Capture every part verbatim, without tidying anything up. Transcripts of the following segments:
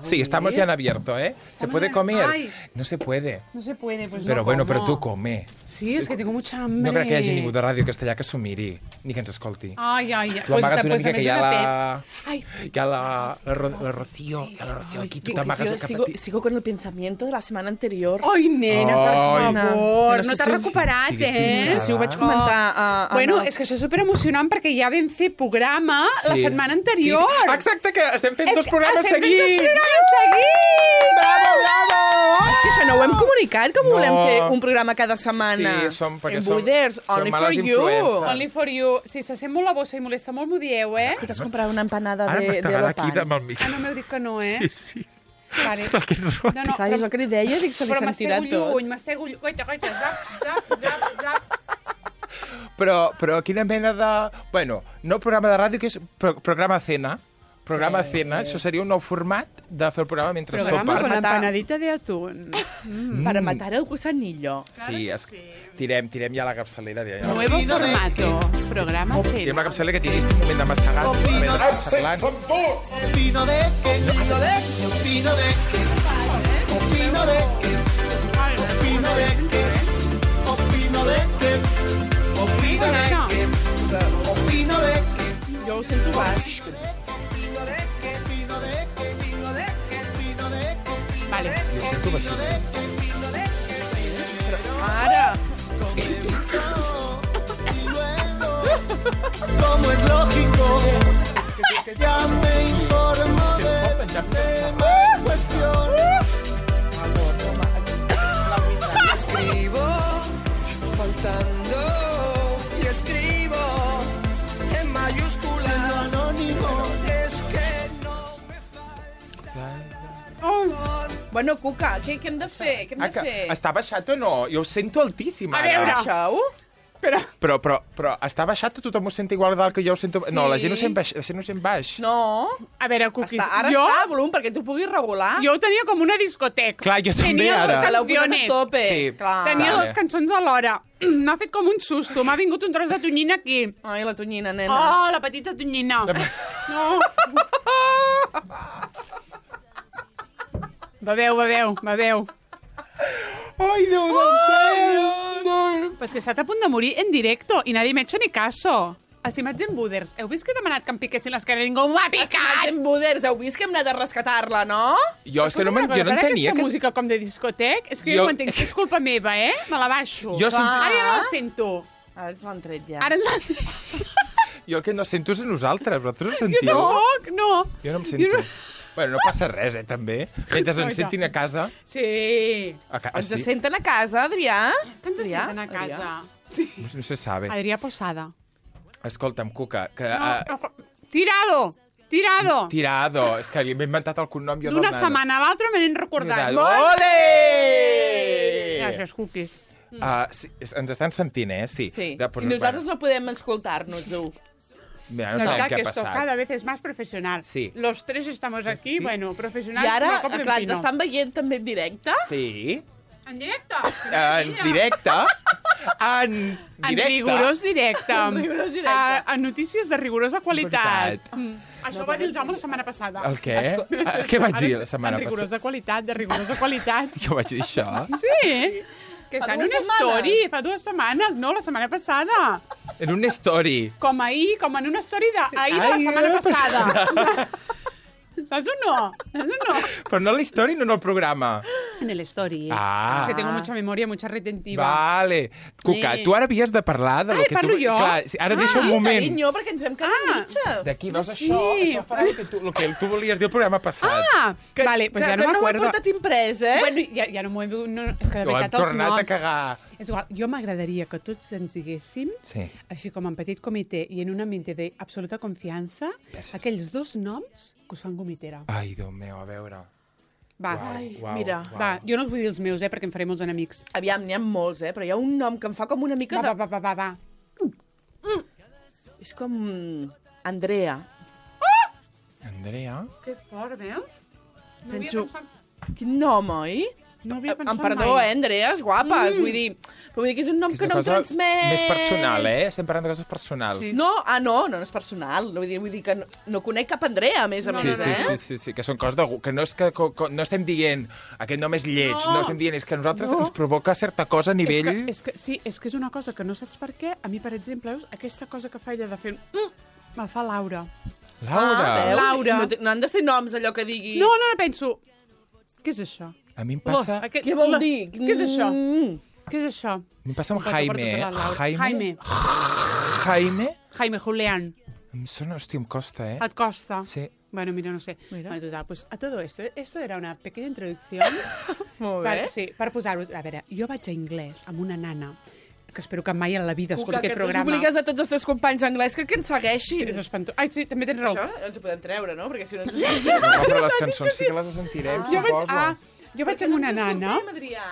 Sí, estamos ya en abierto, ¿eh? ¿Se puede comer? Ay. No se puede. No se puede, pues Pero no bueno, como. però tu come. Sí, és que tinc mucha hambre. No crec que hi hagi ningú de Ràdio Castellà que s'ho miri, ni que ens escolti. Ai, ai, ai. Tu amaga't una pues, mica que hi ha una la... Ai. Hi ha la, la, Ro- la Rocío, hi ha la Rocío aquí, tu Que t'amagues yo el cap sigo, a ti. sigo con el pensamiento de la semana anterior. Ai, nena, per Ai. favor. No sé No t'has si- recuperat, siguis eh? No sé si ho vaig Ah. comentar a... a Bueno, a- és que això és superemocionant perquè ja vam fer programa la Sí. setmana anterior. Sí, sí. Exacte, que estem fent dos És- programes estem fent seguits. dos programes seguits! Bravo, bravo! És que això no ho hem comunicat, com No. volem fer un programa cada setmana. Sí, som- perquè en som- Buiders, som only for males you. influencers. Only for you. Si se sent molt la bossa i molesta molt, m'ho dieu, eh? Que t'has comprat una empanada Ara de, m'està de agafant aquí l'opal. amb el micro. Ah, no m'heu dit que no, eh? Sí, sí. Vale. Que ro- No, no, Clar, és el que li deia, dic, se li però sentirà m'estego tot. lluny, m'estego lluny. Goita, goita, zap, zap, zap, zap. Però, però quina mena de... Bueno, no programa de ràdio, que és pro programa cena. Programa Sí. cena, això seria un nou format de fer el programa mentre Programa sopes. con empanadita de atún. Mm. Para matar el gusanillo. Sí, es... tirem, tirem ja la capçalera. Ja. Nuevo formato. Programa Tirem cena. la capçalera que tinguis un moment de mastegar, un moment de xarlant. Opino de que, opino de que, opino de que, opino de que, opino de que, opino de que, opino de que, opino de que, Jo ho sento baix. opino de que, opino de que, opino de que, opino de que, Vale. Jo sento baixíssim. Ara. como es lógico, ya me informo de la cuestión. Escribo faltando y escribo en mayúsculas anónimo. Es que no me Bueno, Cuca, què, què hem de fer? Què hem Ah, de que fer? està baixat o no? Jo ho sento altíssim, A ara. veure. Baixeu? Però... Però, però, però està baixat o tothom ho sent igual dalt que jo ho sento... Sí. No, la gent ho sent baix. La gent ho sent baix. No. A veure, Cuquis, Està, ara jo, està a volum perquè tu puguis regular. jo ho tenia com una discoteca. Clar, jo també, Tenia ara. dos Que l'heu posat a canciones. tope. Sí. Clar. Tenia Vale. dues cançons alhora. M'ha fet com un susto. M'ha vingut un tros de tonyina aquí. Ai, la tonyina, nena. Oh, la petita tonyina. No. Beveu, beveu, beveu. Ai, Déu del cel! No. Pues que estat a punt de morir en directo i nadie m'ha hecho ni caso. Estimats en Buders, heu vist que he demanat que em piquessin les cares? Ningú m'ha Estimats picat! en Buders, heu vist que hem anat a rescatar-la, no? Jo és que no, Escolta'm una jo no cosa, ara entenia aquesta que... música com de discotec, és que jo, Jo- no ho entenc, és culpa meva, eh? Me la baixo. Jo sent- Ara ja no la sento. Ara ens l'han tret ja. Ara ens la... Jo el que no sento és a nosaltres. Vosaltres ho sentiu? Tampoc, no. Jo no em sento. Jo Bueno, no passa res, eh, també. Mentre ens sentin a casa... Sí. A ca... Ens sí. senten a casa, Adrià? Que ens Adrià? senten a casa. No se sabe. Adrià Posada. Escolta'm, Cuca, que... No, uh, no, tirado! Tirado! tirado. És que li m'he inventat el cognom jo del D'una nano. setmana a l'altra me n'he recordat. Tirado. Molt Ole! Gràcies, Cookies. Uh, sí, ens estan sentint, eh? Sí. Sí. De, pues, I nosaltres no podem escoltar-nos, tu. Mira, no La sabem verdad què que ha esto passat. cada vez es más profesional. Sí. Los tres estamos aquí, bueno, profesionals. I ara, com a cop de clar, ens pino. estan veient també en directe? Sí. En directe? En directe. En En directe. rigorós directe. En rigorós directe. A, a notícies de rigorosa qualitat. Qualitat. Mm. Això ho va dir el Jaume la setmana passada. El què? Ah, què vaig dir la setmana En passada? rigorosa qualitat, de rigorosa qualitat. Jo vaig dir això. Sí, que Fa està en dues una setmanes. story, fa dues setmanes, no, la setmana passada. En una story. Com ahir, com en una story d'ahir de la Ai, setmana la passada. ¿Saps o no? ¿Saps o no? Però no en la story, no en el programa. En el story. Ah. Es que tengo mucha memoria, mucha retentiva. Vale. Cuca, Sí. tu ara havies de parlar de lo Ai, que parlo tu... jo? Clar, sí, ara Ah, deixa un moment. Carinyo, perquè ens vam quedar Ah. mitges. D'aquí veus Sí. això, això farà el que, tu, el que tu volies dir el programa passat. Ah, que, vale, pues que, ja no que no ho he m'acuerdo. portat imprès, eh? Bueno, ja, ja no m'ho he... No, és que de Ho hem veritat els tornat noms... a cagar. És igual, jo m'agradaria que tots ens diguéssim, Sí. així com en petit comitè i en un ambient d'absoluta confiança, aquells dos noms que us fan gomitera. Ai, Déu meu, a veure. Va, Ai, Uau, mira. uau. va, jo no us vull dir els meus, eh, perquè em faré molts enemics. Aviam, n'hi ha molts, eh? Però hi ha un nom que em fa com una mica Va, de... va, va, va, va. És com... Andrea. Andrea? Que fort, veus? No Penso- havia pensat... Quin nom, oi? No havia pensat Em perdó, mai. eh, Andrees, guapes. Mm. Vull dir, però vull dir que és un nom És que una no em cosa transmet... més personal, eh? Estem parlant de coses personals. Sí. No, ah, no, no, no és personal. Vull dir, vull dir que no, no conec cap Andrea, a més a No, Sí, més, sí, eh? sí, sí, sí, que són coses de... gu- Que no, és que, co, co, no estem dient aquest nom és lleig, no, no estem dient, és que a nosaltres No. ens provoca certa cosa a nivell... És que, és que, sí, és que és una cosa que no saps per què. A mi, per exemple, veus, aquesta cosa que fa ella de fer... Mm, me fa Laura. Laura, Ah, veus? Laura. No, te- no han de ser noms, allò que diguis... No, no, no, penso... Què és això? a mi em passa... Oh, aquest, Què vol la- dir? Què és això? Mm. Què és això? A mi em passa amb Porta, Jaime, porta, eh? porta la Laura. Jaime? Jaime. Jaime? Jaime Julián. Em sona, hòstia, em costa, eh? Et costa? Sí. Bueno, mira, no sé. Mira. Bueno, total, pues a todo esto, esto era una pequeña introducción. Molt bé. per, sí, per posar-vos... A veure, jo vaig a anglès amb una nana que espero que mai a la vida Cuca, escolti que aquest tu programa. obligues a tots els teus companys anglès que, que ens segueixin. És espantós. Ai, sí, també tens raó. Això ens ho podem treure, no? Perquè si no ens... No, però les cançons sí que les sentirem, Jo vaig, suposo. ah, jo vaig amb una nana... Adrià.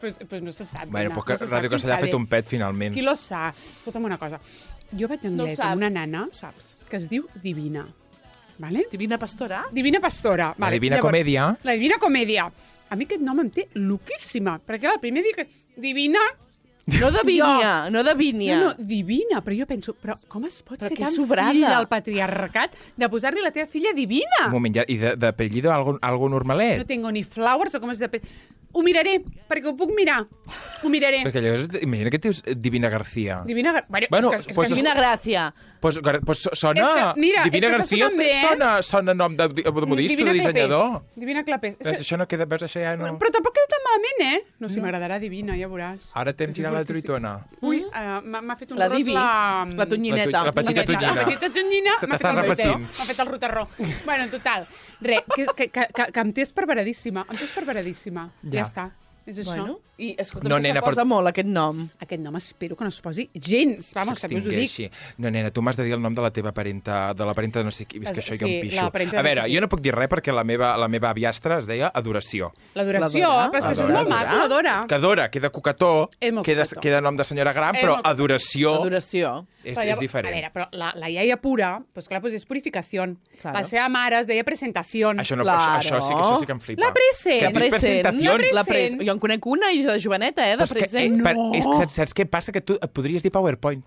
Pues, pues no se sap. Bueno, nena, però que no se sap Ràdio qui Castellà ha sabe. fet un pet, finalment. Qui lo sap? Escolta'm una cosa. Jo vaig a No ho anglès saps. amb una nana Ho saps. que es diu Divina. Vale? Divina Pastora? Divina Pastora. La Vale. Divina Llavors, Comèdia. La Divina Comèdia. A mi aquest nom em té loquíssima, perquè el primer dic Divina... No de Vínia, no de Vínia. No, no, Divina, però jo penso, però com es pot Però ser que tan sobrada. fill del patriarcat de posar-li la teva filla Divina? Un moment, ja, i de- d'apellido algo, algo normalet? No tengo ni flowers o com es de... Ho miraré, perquè ho puc mirar. Ho miraré. Perquè llavors, imagina que et dius Divina García. Divina... Gar- Bueno, Bueno, és que, és pues que Divina Gràcia. Pues, gar- pues sona... És que, mira, Divina és que García sona bé, eh? sona, sona nom de, de, de modista, Divina de dissenyador. Clapés. Divina Clapés. És Veus, que... això no queda, veus, això ja no... Però tampoc queda tan malament, eh? No, si m'agradarà Divina, ja veuràs. Ara t'hem És girat la fortíssim. truitona. Ui, uh, m'ha m'ha fet un La rot Divi, la... la tonyineta. La tu- la petita Tonyineta. tonyina. La petita tonyina Se m'ha t'està fet el roter. repetint. M'ha fet el roterró. Bueno, en total, res, que, que, que, que, que em té esperveradíssima. Em té esperveradíssima. Ja, Ja. està. És això. Bueno, i escolta, No, no, nena, se posa però- molt aquest nom. Aquest nom espero que no es posi gens. Vamos, també us ho dic. S'extingeixi. No, nena, tu m'has de dir el nom de la teva parenta, de la parenta de no sé qui. És que això jo Sí, em pixo. la parenta de A no veure, sé qui. jo no puc dir res perquè la meva, la meva aviastra es deia Adoració. L'adoració, L'Adora? però és que això és L'Adora, molt maco, l'adora. Que Adora queda cucató, És molt queda, cucató. queda nom de senyora gran, És però molt cucató. Adoració Adoració. és, Però és llavors- diferent. A veure, però la, la iaia pura, pues clar, pues és purificació. Claro. La seva mare es deia presentació. Això, no, Claro. això, això, sí, que- això sí que em flipa. La present. Que La et dius present. presentació. La La pres... present. Jo en conec una i de joveneta, eh, de Però és que, eh, present. per, és que saps, saps què passa? Que tu et podries dir PowerPoint.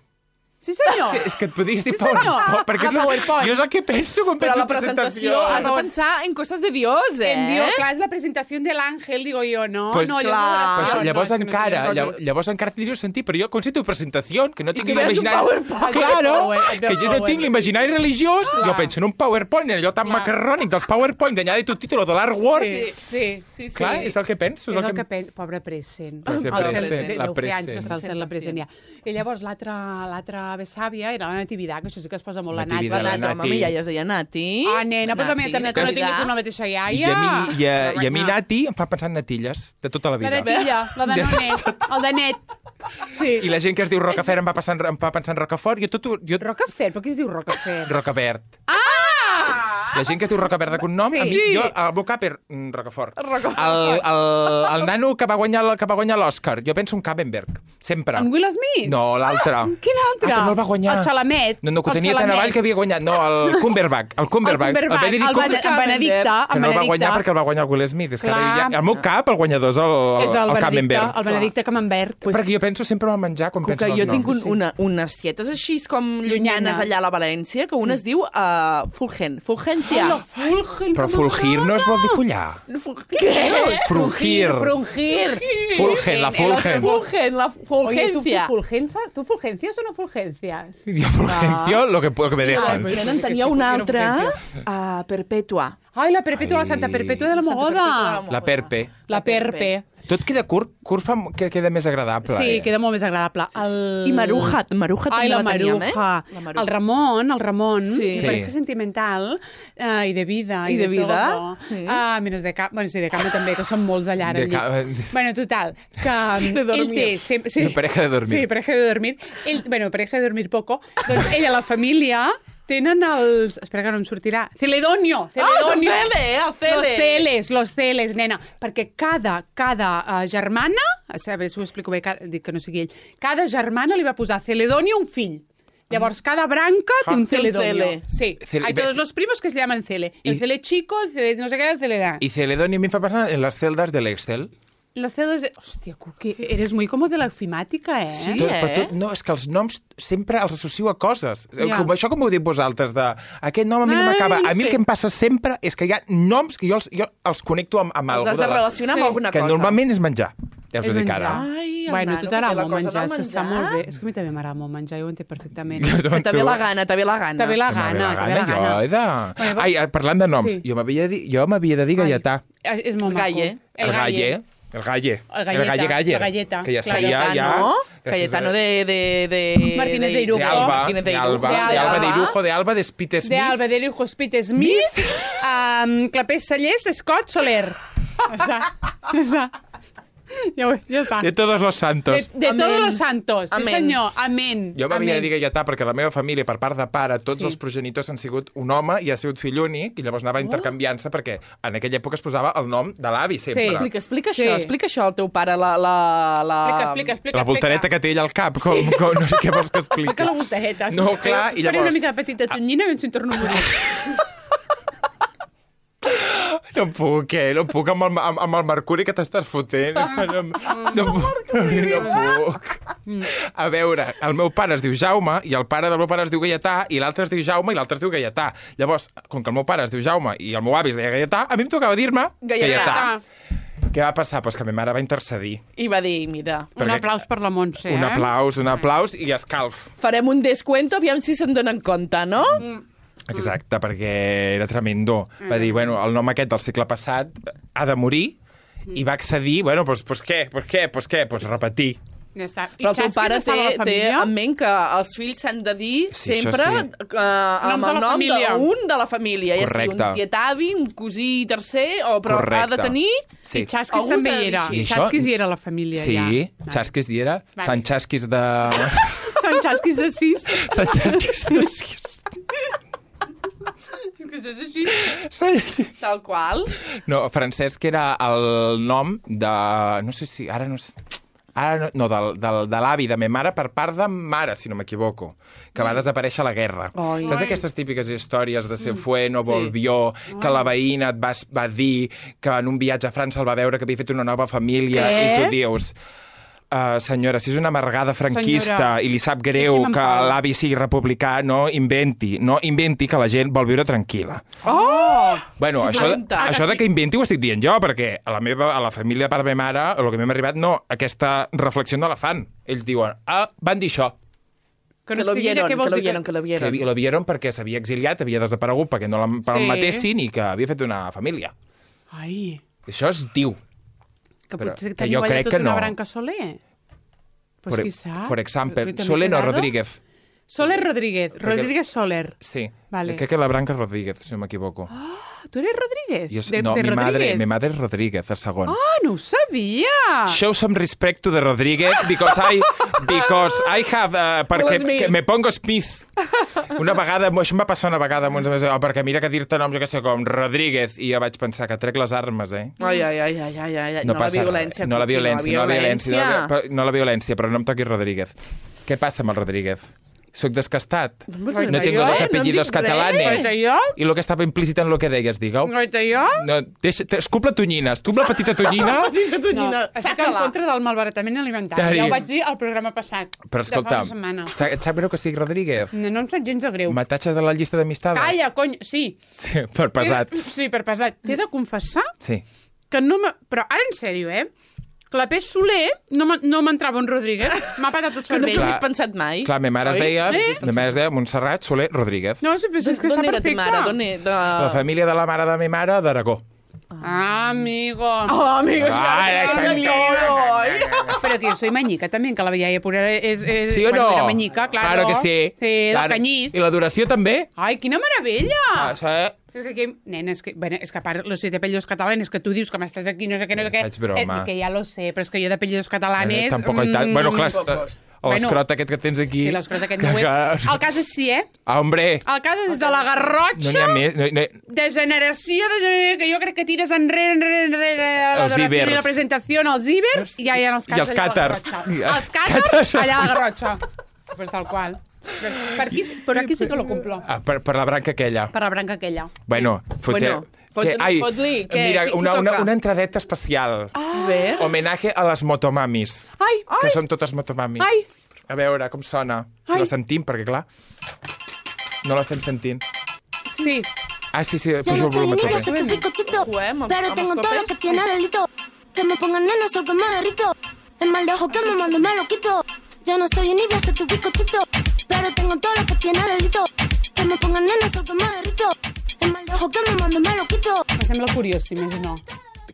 Sí, senyor. Que, és que et podries dir Sí, senyor. PowerPoint. Perquè A és la- PowerPoint. jo és el que penso quan Però penso la en presentació has de pensar en coses de Dios, eh? En Dios, clar, és la presentació de l'àngel, digo jo, no? Pues, no, clar. jo Pues, no, llavors, no, és que no encara, tenia llavors, llavors encara tindria sentit, però jo concepto presentació, que no tinc que veus un l'imaginari... PowerPoint. Claro, Et veu que jo no PowerPoint. tinc l'imaginari religiós, jo penso en un PowerPoint, en allò tan Clar. macarrònic dels PowerPoint, d'añade tu título de l'Art Word. Sí, sí, sí. sí. Clar, és el que penso. És el que penso. Pobre present. Pues de El cel- present, de la deu fer anys que present. està al cel la present ja. I llavors l'altra l'altra besàvia era la Natividad, que això sí que es posa molt la Nat. Natividad, La la Nati, Nati. home, ja es deia Nati. Ah, nena, però la meva també, que no tinguis una mateixa iaia. I a mi, i a, i a mi No. Nati, em fa pensar en natilles, de tota la La vida. natilla, la de Nonet, el de net. Sí. I la gent que es diu Rocafort em va, passant, em va pensar en Rocafort, jo tot... ho- Jo, Rocafer, però qui es diu Rocafer? Rocavert. Ah! La gent que es diu Rocavert de cognom, Sí. a mi, Sí. jo, el meu cap és mm, Rocafort. Rocafort. El, el, el nano que va guanyar el- que va guanyar l'Oscar, jo penso en Cabenberg, sempre. En Will Smith? No, l'altre. Quin altre? Ah, que no el va guanyar. El Xalamet. No, no, que ho El tenia tan Xalamet. avall que havia guanyat. No, el Cumberbatch. El Cumberbatch. El Cumberbatch, el, Benedict Bene- Cumberbatch. en Benedicte. Que en no el va Benedicte. guanyar perquè el va guanyar el Will Smith. És que ara Clar. ja, al meu cap, el guanyador és el, És el, el Benedicte, Camembert. el Benedicte Camembert. Pues- Perquè jo penso sempre en el menjar quan penso Que en jo els tinc noms. un, una, unes tietes així com llunyanes Llunyanes. allà a la València, que una es diu uh, Fulgen, Fulgentia. Hola, Fulgen, Però com fulgir no es vol dir follar. Què? Frugir. Frungir. Fulgen, la fulgen. Fulgen, la Oye, ¿tú, Fulgencia. tú, fulgencia, ¿tú fulgencias o no fulgencias? Jo fulgencio lo que, lo que me Ah, dejan. pues sí, tenen, sí que tenia sí, una porque era altra, uh, Perpètua. Ai, la Perpètua, la Ai. Santa Perpètua de la Santa Perpètua de la Mogoda. Mogoda. La Perpe. La Perpe. Tot queda curt, curt fa que queda més agradable. Sí, eh? queda molt més agradable. El... I Maruja, Maruja Ai, també la la teníem, Maruja. eh? La Maruja. El Ramon, el Ramon, Sí. su Sí. pareja sentimental eh, i de vida. I de vida. todo. Sí. Ah, menos de cap. Bueno, sí, de cama també, que són molts allà ara. De al llit. ca- Bueno, total, que Sí, de ell dormir. té sempre... Sí. Una pareja de dormir. Sí, pareja de dormir. Ell, bueno, pareja de dormir poco. Doncs ella, la família, tenen els... Espera que no em sortirà. Celedonio, Celedonio. Ah, el Cele, el Cele. Los celes, los celes, nena. Perquè cada, cada uh, germana, a veure si ho explico bé, cada, dic que no sigui ell, cada germana li va posar Celedonio un fill. Llavors, cada branca té un Té un celedonio. cele. Sí, Cele- hay todos los primos que se llaman cele. El Y- cele chico, el cele no sé qué, el cele da. Y Celedonio a mí me fa pensar en las celdas del Excel. Los celes... De... Hòstia, Cuqui, eres muy como de la ofimática, eh? Sí. Tot, eh? però tot, no, és que els noms sempre els associo a coses. Ja. Com, això com ho diu vosaltres, de aquest nom a mi no Ai, m'acaba. A mi sí. el que em passa sempre és que hi ha noms que jo els, jo els connecto amb, amb Els algú has de de la... relacionar Sí. amb alguna Que cosa. normalment és menjar. Ja us És ho dic menjar. ara. Ai, el Bueno, nano, tu que t'agrada té la molt cosa menjar, és del que està menjar. molt bé. És que a mi també m'agrada molt menjar, jo ho entenc perfectament. Que també la gana, també la gana. També la Que m'agrada gana, també la jo gana. he de... Bueno, Ai, eh, parlant de noms, sí. jo m'havia de dir, jo m'havia de dir Gaietà. És, és molt Galle. maco. El galle. El galle. El galleta, galle galle. la galleta, Que ja claro. seria ja... Cayetano, gràcies Cayetano a- de... de, de Martínez de Irujo. De Alba, Martínez de de Irujo. Alba, De de Alba de Alba. Irujo, de Alba, de Spite De Smith. Alba, de Lujo, Spit Smith, um, Clapés Sallés, Scott, Soler. Ja està. Ja està. Ja, ho, ja està. De todos los De, santos. de Amén. todos los santos. Sí, Amén. senyor. Amén. Jo m'havia de Amén. dir Gaietà perquè la meva família, per part de pare, tots Sí. els progenitors han sigut un home i ha sigut fill únic, i llavors anava intercanviant-se perquè en aquella època es posava el nom de l'avi sempre. Sí. Explica, explica Sí. això, explica això al teu pare, la... la, la... Explica, explica, explica. La voltareta que té ell al cap, com, sí. com no sé què vols que expliqui. Explica la voltareta. No, clar, i Faré llavors... una mica de petita tonyina i ens hi torno a morir. No puc, eh? No puc amb el, amb, amb el mercuri que t'estàs fotent. No, no, no, no puc. A veure, el meu pare es diu Jaume i el pare del meu pare es diu Gaietà i l'altre es diu Jaume i l'altre es diu Gaietà. Llavors, com que el meu pare es diu Jaume i el meu avi es deia Gaietà, a mi em tocava dir-me Gaietà. Gaietà. Què va passar? Pues que ma mare va intercedir. I va dir, mira, Un Perquè- aplaus per la Montse, eh? Un aplaus, un aplaus i escalf. farem un descuento, aviam si se'n donen compte, no? Exacte, perquè era tremendo. Va dir, bueno, el nom aquest del segle passat ha de morir i va accedir, bueno, doncs pues, pues què, pues què, pues què, pues repetir. Ja està. I Però el teu Xasquis pare té, estava a la té família? en ment que els fills s'han de dir Sí, això sempre sí. eh, amb Noms de el la nom família. d'un de la família. Ja sigui Correcte. un tietavi, un cosí tercer, o, però Correcte. ha de tenir... Sí. I Xasquis Algú també s'ha de hi era. dir. I I això- Xasquis hi era a la família, Sí, ja. Vale. Xasquis hi era. Vale. Sant Xasquis de... Són Xasquis de sis. Sant Xasquis de... Que això és així. Sí. Tal qual. No, Francesc era el nom de... No sé si... Ara no sé... Ara no, no del, del, de l'avi de ma mare per part de mare, si no m'equivoco, que va desaparèixer a la guerra. Ai. Saps aquestes típiques històries de se fue, no Sí. volvió, que la veïna et va, va dir que en un viatge a França el va veure que havia fet una nova família Què? i tu dius... Uh, senyora, si és una amargada franquista Senyora, i li sap greu deixi'm en que pau. l'avi sigui republicà, no inventi, no inventi que la gent vol viure tranquil·la. Oh! Bueno, això, Planta. això de que inventi ho estic dient jo, perquè a la meva, a la família de part de ma mare, el que m'hem arribat, no, aquesta reflexió no la fan. Ells diuen, ah, van dir això. Que Que no lo estigui vieron, allà, què que vols lo dir? vieron, que lo Que vieron. lo vieron perquè s'havia exiliat, havia desaparegut perquè no l'en- Sí. matessin i que havia fet una família. Ai, Això es diu. que Però potser que teniu jo allà crec tota que una no. branca Soler. Pues For, qui sap. for example, Yo también Soleno he quedado. Rodríguez. Soler Rodríguez. Rodríguez Soler. Sí. Vale. Crec que la branca és Rodríguez, si no m'equivoco. ¿Tú eres Rodríguez? Jo, de, no, de mi madre, Rodríguez? mi madre és Rodríguez, el segon. Ah, no ho sabia! Show some respect to the Rodríguez because I because I have uh, perquè Will Smith. que me pongo Smith. Una vegada, això em va passar una vegada amb uns amics, oh, perquè mira que dir-te noms, jo què sé, com Rodríguez, i jo vaig pensar que trec les armes, eh? Ai, ai, ai, ai, ai, ai. No, No, la passa violència. res. No la Cuqui, violència, no la violència, no la, vi- no la violència, però no em toquis Rodríguez. Què passa amb el Rodríguez? Soc descastat. Hombre, No tengo jo, dos eh? apellidos No em dic catalanes. res. Jo? I lo que estava implícit en lo que deies, digueu. Goita jo? No, deixa, te- escup la tonyina, escup la petita tonyina. Petita No, tonyina, estic en saca-la. contra del malbaratament alimentari. Tari. Ja ho vaig dir al programa passat. Però de fa escolta, una setmana. et sap greu que sigui Rodríguez? No, no em sap gens de greu. M'atatxes de la llista d'amistades? Calla, cony, sí. Sí, per pesat. Sí, per pesat. T'he de confessar Sí. que no m'ha... Però ara, en sèrio, eh? Clapés Soler no m'ha- no m'entrava un Rodríguez. M'ha patat el Que no cervell. s'ho Clar. hagués pensat mai. Clar, ma mare es Oi? deia, Eh? ma mare es deia Montserrat Soler Rodríguez. No, sí, però és que D'on està era ta perfecte. mare? D'on era? De... La família de la mare de ma mare, d'Aragó. Ah, amigo. Oh, amigos, Ah, ya, exacte. ya, Pero que yo soy mañica también, que la veía pura es, es... Sí o bueno, no? era mañica, claro. Claro que sí. Sí, del Claro. Canyís. I la duració també? Ai, quina meravella! Ah, això, És que, aquí, nena, és que, bueno, és que a part, los siete apellidos catalanes, que tu dius que m'estàs aquí, no sé què, no sé què... Faig broma. Eh, que ja lo sé, però és que jo d'apellidos catalanes... eh, tampoc hi tant. Bueno, clar, pocos. o l'escrot Bueno. aquest que tens aquí... Sí, l'escrot aquest no ho és. El cas és sí, eh? Ah, hombre, El cas és de la no Garrotxa, n'hi ha més. No, no, de generació, de generació, que jo crec que tires enrere, enrere, enrere, la Els duració ibers. i la presentació, els ibers, i ja hi ha els I els càters allà a la càters. Garrotxa. I els Els càters càters. allà a la Garrotxa. Pues tal qual. Per aquí, per aquí sí que lo cumplo. Ah, per, per la branca aquella. Per la branca aquella. Bueno, foté... Bueno, fot- que, ai, fot-li, què- mira, qui- qui una, una, toca? una entradeta especial. A ver. Homenatge a les motomamis. Ai, Que som totes motomamis. Ai. A veure com sona. Si Ai. la sentim, perquè clar, no l'estem sentint. sí. Ah, sí, sí, Yo pujo no el soy volumen niña, també. soy tu picochito. Juguem amb- Pero amb tengo els todo lo papers. que tiene delito. Que me pongan nena, so que me derrito. El mal de ojo que me mando me lo quito. Yo no soy niña, soy tu picochito. Pero tengo todo lo que tiene delito. Que me pongan nena, so que me derrito. El mal de ojo que me mando me lo quito. Em sembla curiós, si més no.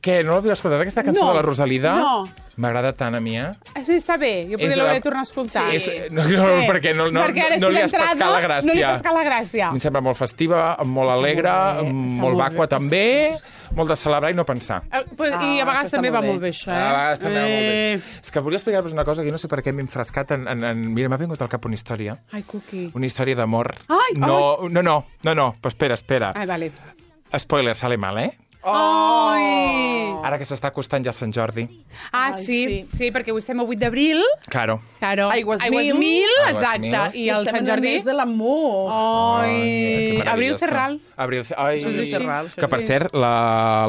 Què, no l'haviu escoltat, aquesta cançó No. de la Rosalida? No. M'agrada tant a mi, eh? Sí, està bé. Jo És potser l'hauré la- de tornar a escoltar. És, no, no, Eh, perquè no, no, perquè ara no, així li has l'entrada pescat la gràcia. No li has pescat la gràcia. Em sembla molt festiva, molt alegre, molt bé, molt, està molt molt vacua bé. també, molt de celebrar i no pensar. Eh, pues, I a Ah, vegades això està també molt va bé. molt bé, això, eh? A vegades també va molt bé. Eh, És que volia explicar-vos una cosa que no sé per què m'he enfrescat en... en, en... Mira, m'ha vingut al cap una història. Ai, Cuqui. Una història d'amor. Ai, no, no, no, no, no, però espera, espera. Ai, vale. Spoiler, sale mal, eh? Ai! Ara que s'està acostant ja Sant Jordi. Ah, Ai, sí, sí. sí, perquè avui estem a vuit d'abril. Claro. Claro. Aigües Aigües mil. mil, Aigües exacte. mil. I el Estem Sant en el Jordi... mes de l'amor. Ai, que Abril meravelloso. Ferral. Abril Ferral. Ai, Això és així. Ferral, això que per sí. cert, la,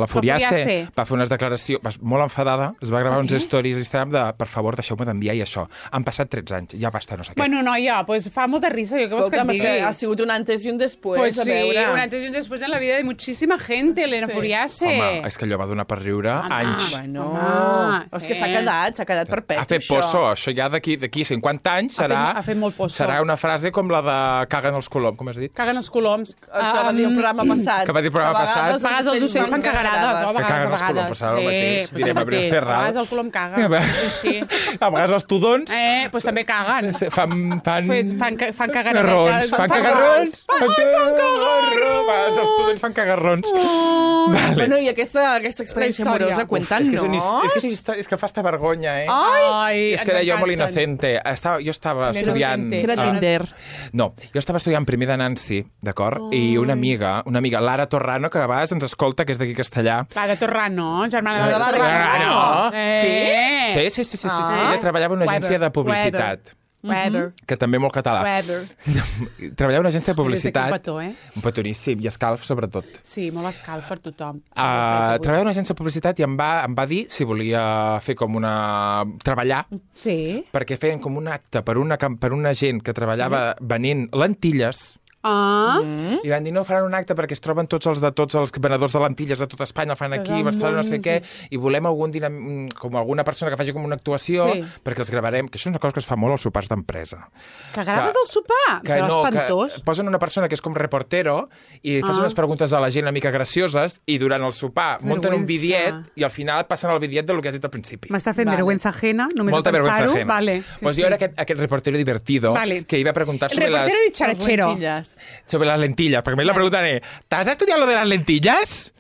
la Furiace Furiace. va fer unes declaracions va, molt enfadada, es va gravar uns stories a Instagram de per favor, deixeu-me d'enviar i això. Han passat tretze anys, ja basta, no sé què. Bueno, noia, pues fa molta risa. Jo què vols que Escolta'm, et és que digui? ha sigut un antes i un després, Pues a sí, veure. un antes y un después en la vida de muchísima gente, Elena Sí. Furiace. Home, és que allò va donar per riure Home. anys. Bueno, Home, és que eh. s'ha quedat, s'ha quedat perpetu, Ha fet poso, això ja d'aquí d'aquí cinquanta anys Ha fet- serà, ha fet molt poso. serà una frase com la de caguen els coloms, com has dit? Caguen els coloms. Que va dir el programa passat. Que va dir el programa A vegades passat. A vegades els ocells fan cagarades, o a Que vegades, caguen a els coloms, vegades. però serà el mateix. pues Direm el Abril mateix. Ferral. A vegades el colom caga. A Sí, sí. vegades els tudons Eh, pues també caguen. fan... fan... Pues fan, ca- fan Cagarrons. cagaretes. Fan cagarrons. Fan cagarrons. A vegades els tudons fan cagarrons. Vale. Bueno, i aquesta, aquesta experiència La història. amorosa, Uf, cuentan, és que, és, no? una his- és, que és, història- és que fa esta vergonya, eh? Ai, és que era jo molt inocente. Estava, jo estava estudiant... inocente. Que era ah, Tinder. No, jo estava estudiant primer de Nancy, d'acord? I una amiga, una amiga, Lara Torrano, que a vegades ens escolta, que és d'aquí Castellà. Clara Torrano, germana de La la Torrano. Eh. Sí, sí, sí, sí, sí, sí. Ah. Ella treballava en una agència de publicitat. Weather. Que també molt català. Weather. Treballava en una agència de Des d'aquí un publicitat. petó, eh? Un petoníssim, i escalf, sobretot. Sí, molt escalf per tothom. Uh, treballava en una agència de publicitat i em va, em va dir si volia fer com una... treballar, Sí. perquè feien com un acte per una, cam- per una gent que treballava venent lentilles, Ah, i van dir, no, faran un acte perquè es troben tots els de tots els venedors de lentilles de tota Espanya, el fan aquí, del Barcelona, no sé món, què, i volem algun dinam... com alguna persona que faci com una actuació, Sí. perquè els gravarem, que això és una cosa que es fa molt als sopars d'empresa. que graves Que- el sopar. Que Serà no, espantós. que posen una persona que és com reportero i fas Ah. unes preguntes a la gent una mica gracioses i durant el sopar munten un Vergüenza. bidiet i al final passen el bidiet del que has dit al principi. M'està fent Vale. vergüenza ajena, només Molta de vergüenza pensar-ho. ajena. Vale. Sí, pues sí. jo era aquest, aquest reportero divertido Vale. que iba a preguntar El sobre reportero las, dicharachero. Lentilles. sobre las lentillas, perquè a mi la preguntaré, ¿t'has estudiat lo de las lentillas?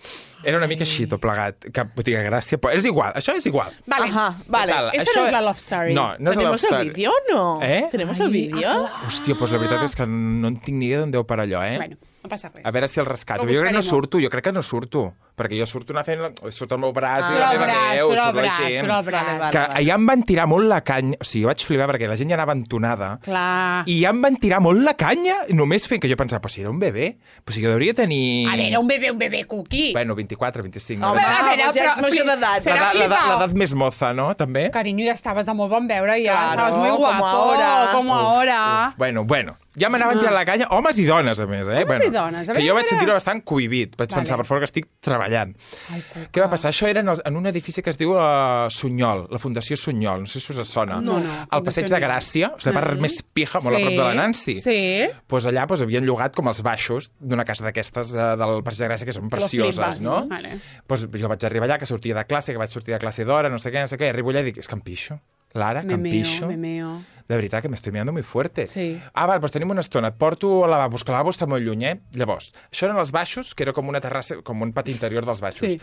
Era una mica així, tot plegat. Que botiga gràcia, però és igual, això és igual. Vale. Ajá, vale. Total, Esta no es la love story. No, no és la love ¿Tenemos el story. vídeo o no? Eh? ¿Tenemos el vídeo? Hòstia, doncs la veritat és que no en tinc ni idea d'on deu parar allò, eh? Bueno, no passa res. A veure si el rescato. Lo Jo crec que no buscaremos. surto, jo crec que no surto. Perquè jo surto anar fent... Surt el meu braç i Surt la el meva braç, veu, surt el surt la braç, gent. surt el braç. Vale, vale. Que allà em van tirar molt la canya. O sigui, jo vaig flipar perquè la gent ja anava entonada. Clar. I ja em van tirar molt la canya, només fent que jo pensava, però si era un bebè, però si jo hauria tenir... A veure, un bebè, un bebè cookie. Bueno, vint-i-quatre, vint-i-cinc. Home, no? ah, però- doncs ja ets però- major d'edat. serà L'edat- l'edat flipao. l'edat més moza, no? També? Cariño, ya estabas de muy bon veure, ya Claro, estabas muy como guapo. ahora. Como ahora. Uf, bueno, bueno. Ja m'anaven tirant la canya, homes i dones, a més, eh? Homes bueno, i dones, a que veure, jo vaig a veure. sentir-ho bastant cohibit. Vaig Vale. pensar, per favor, que estic treballant. Ai, Cuca. Què va passar? Això era en, els, en un edifici que es diu uh, Sunyol, la Fundació Sunyol, no sé si us sona. No, no, Al Fundació passeig de Sunyol. Gràcia, o sigui, la part més pija, molt a prop de la Nancy. Sí. Pues allà pues, havien llogat com els baixos d'una casa d'aquestes uh, del passeig de Gràcia, que són precioses, flipes, no? vale. Pues, jo vaig arribar allà, que sortia de classe, que vaig sortir de classe d'hora, no sé què, no sé què, i arribo allà i dic, és que em pixo. Lara, que Me em meo, pixo. me meo. De veritat que m'estic mirando muy fuerte. Sí. Ah, val, doncs tenim una estona. Et porto al lavabo, és que el lavabo està molt lluny, eh? Llavors, això eren els baixos, que era com una terrassa, com un pati interior dels baixos. Sí.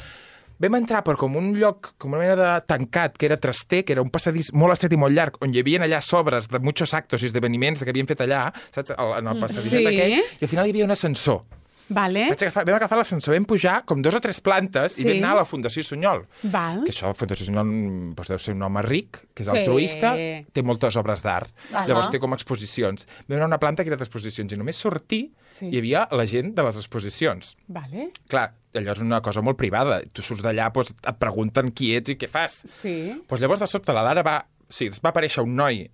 Vam entrar per com un lloc, com una mena de tancat, que era traster, que era un passadís molt estret i molt llarg, on hi havia allà sobres de muchos actos i esdeveniments que havien fet allà, saps? El- En el passadís Sí. aquell, i al final hi havia un ascensor. Vale. Vaig agafar, vam agafar l'ascensor, vam pujar com dos o tres plantes Sí. i vam anar a la Fundació Sunyol. Val. Que això, la Fundació Sunyol, doncs, deu ser un home ric, que és Sí. altruista, té moltes obres d'art. Ahà. Llavors té com exposicions. Vam anar a una planta que era d'exposicions i només sortir Sí. hi havia la gent de les exposicions. Vale. Clar, allò és una cosa molt privada. Tu surts d'allà, doncs, et pregunten qui ets i què fas. Sí. Pues llavors, de sobte, la Lara va... Sí, va aparèixer un noi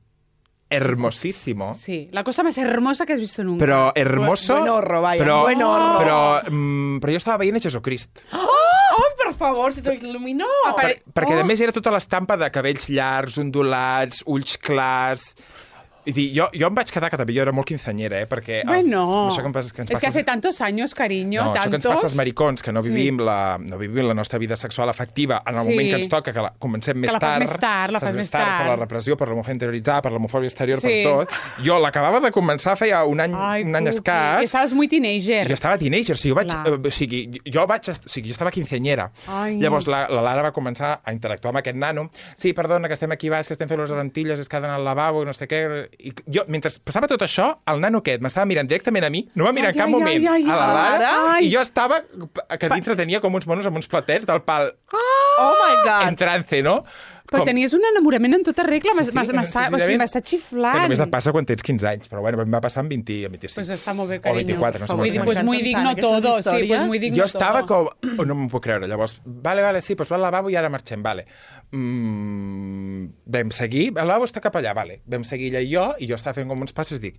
hermosíssimo, Sí, la cosa más hermosa que has visto nunca. però hermoso... Buen horror, vaya, però, buen horror. Però, mm, però jo estava veient a Jesucrist. Oh, per favor, se t'ho il·luminó. Per, perquè, Oh. a més, era tota l'estampa de cabells llargs, ondulats, ulls clars... I dir, jo, jo em vaig quedar, que també jo era molt quinceanyera, eh? Perquè... Els, Bueno, això que, em passa, que ens es que passa... hace tantos años, cariño, No, això que ens tantos. passa als maricons, que no Sí. vivim, la, no vivim la nostra vida sexual afectiva en el Sí. moment que ens toca, que la comencem més la fas tard. més tard, la fas més tard. Per la repressió, per l'homofòbia interioritzada, per l'homofòbia exterior, Sí. per tot. Jo l'acabava de començar feia un any, Ai, un any Cuqui, escàs. que estaves muy teenager. Jo estava teenager, o sigui, jo vaig, Clar. eh, o sigui, jo vaig, est- o sigui, jo estava quinceanyera. Ai. Llavors la, la Lara va començar a interactuar amb aquest nano. Sí, perdona, que estem aquí baix, que estem fent les lentilles, és que ha d'anar al lavabo, i no sé què. I jo, mentre passava tot això, el nano aquest m'estava mirant directament a mi, no va mirar Ai, en cap ai, moment ai, ai, a la Lara, ai. i jo estava, que dintre tenia com uns monos amb uns platets del pal Oh my God. en trance, no? Però Com- tenies un enamorament en tota regla, Sí, m'has- sí, m'has- sí, m'està sí, o sigui, sí, m'està xiflant. Que només et passa quan tens quinze anys, però bueno, em va passar amb vint i vint-i-sis. Pues està molt bé, O cariño. vint-i-quatre, no sé Vull quants dir, anys. pues muy M'encanten digno aquestes todo, sí, pues històries. muy digno Jo estava todo. com... Oh, no m'ho puc creure. Llavors, vale, vale, sí, doncs va al lavabo i ara marxem, vale. Mm, vam seguir, el lavabo està cap allà, vale. Vam seguir ella i jo, i jo estava fent com uns passos i dic,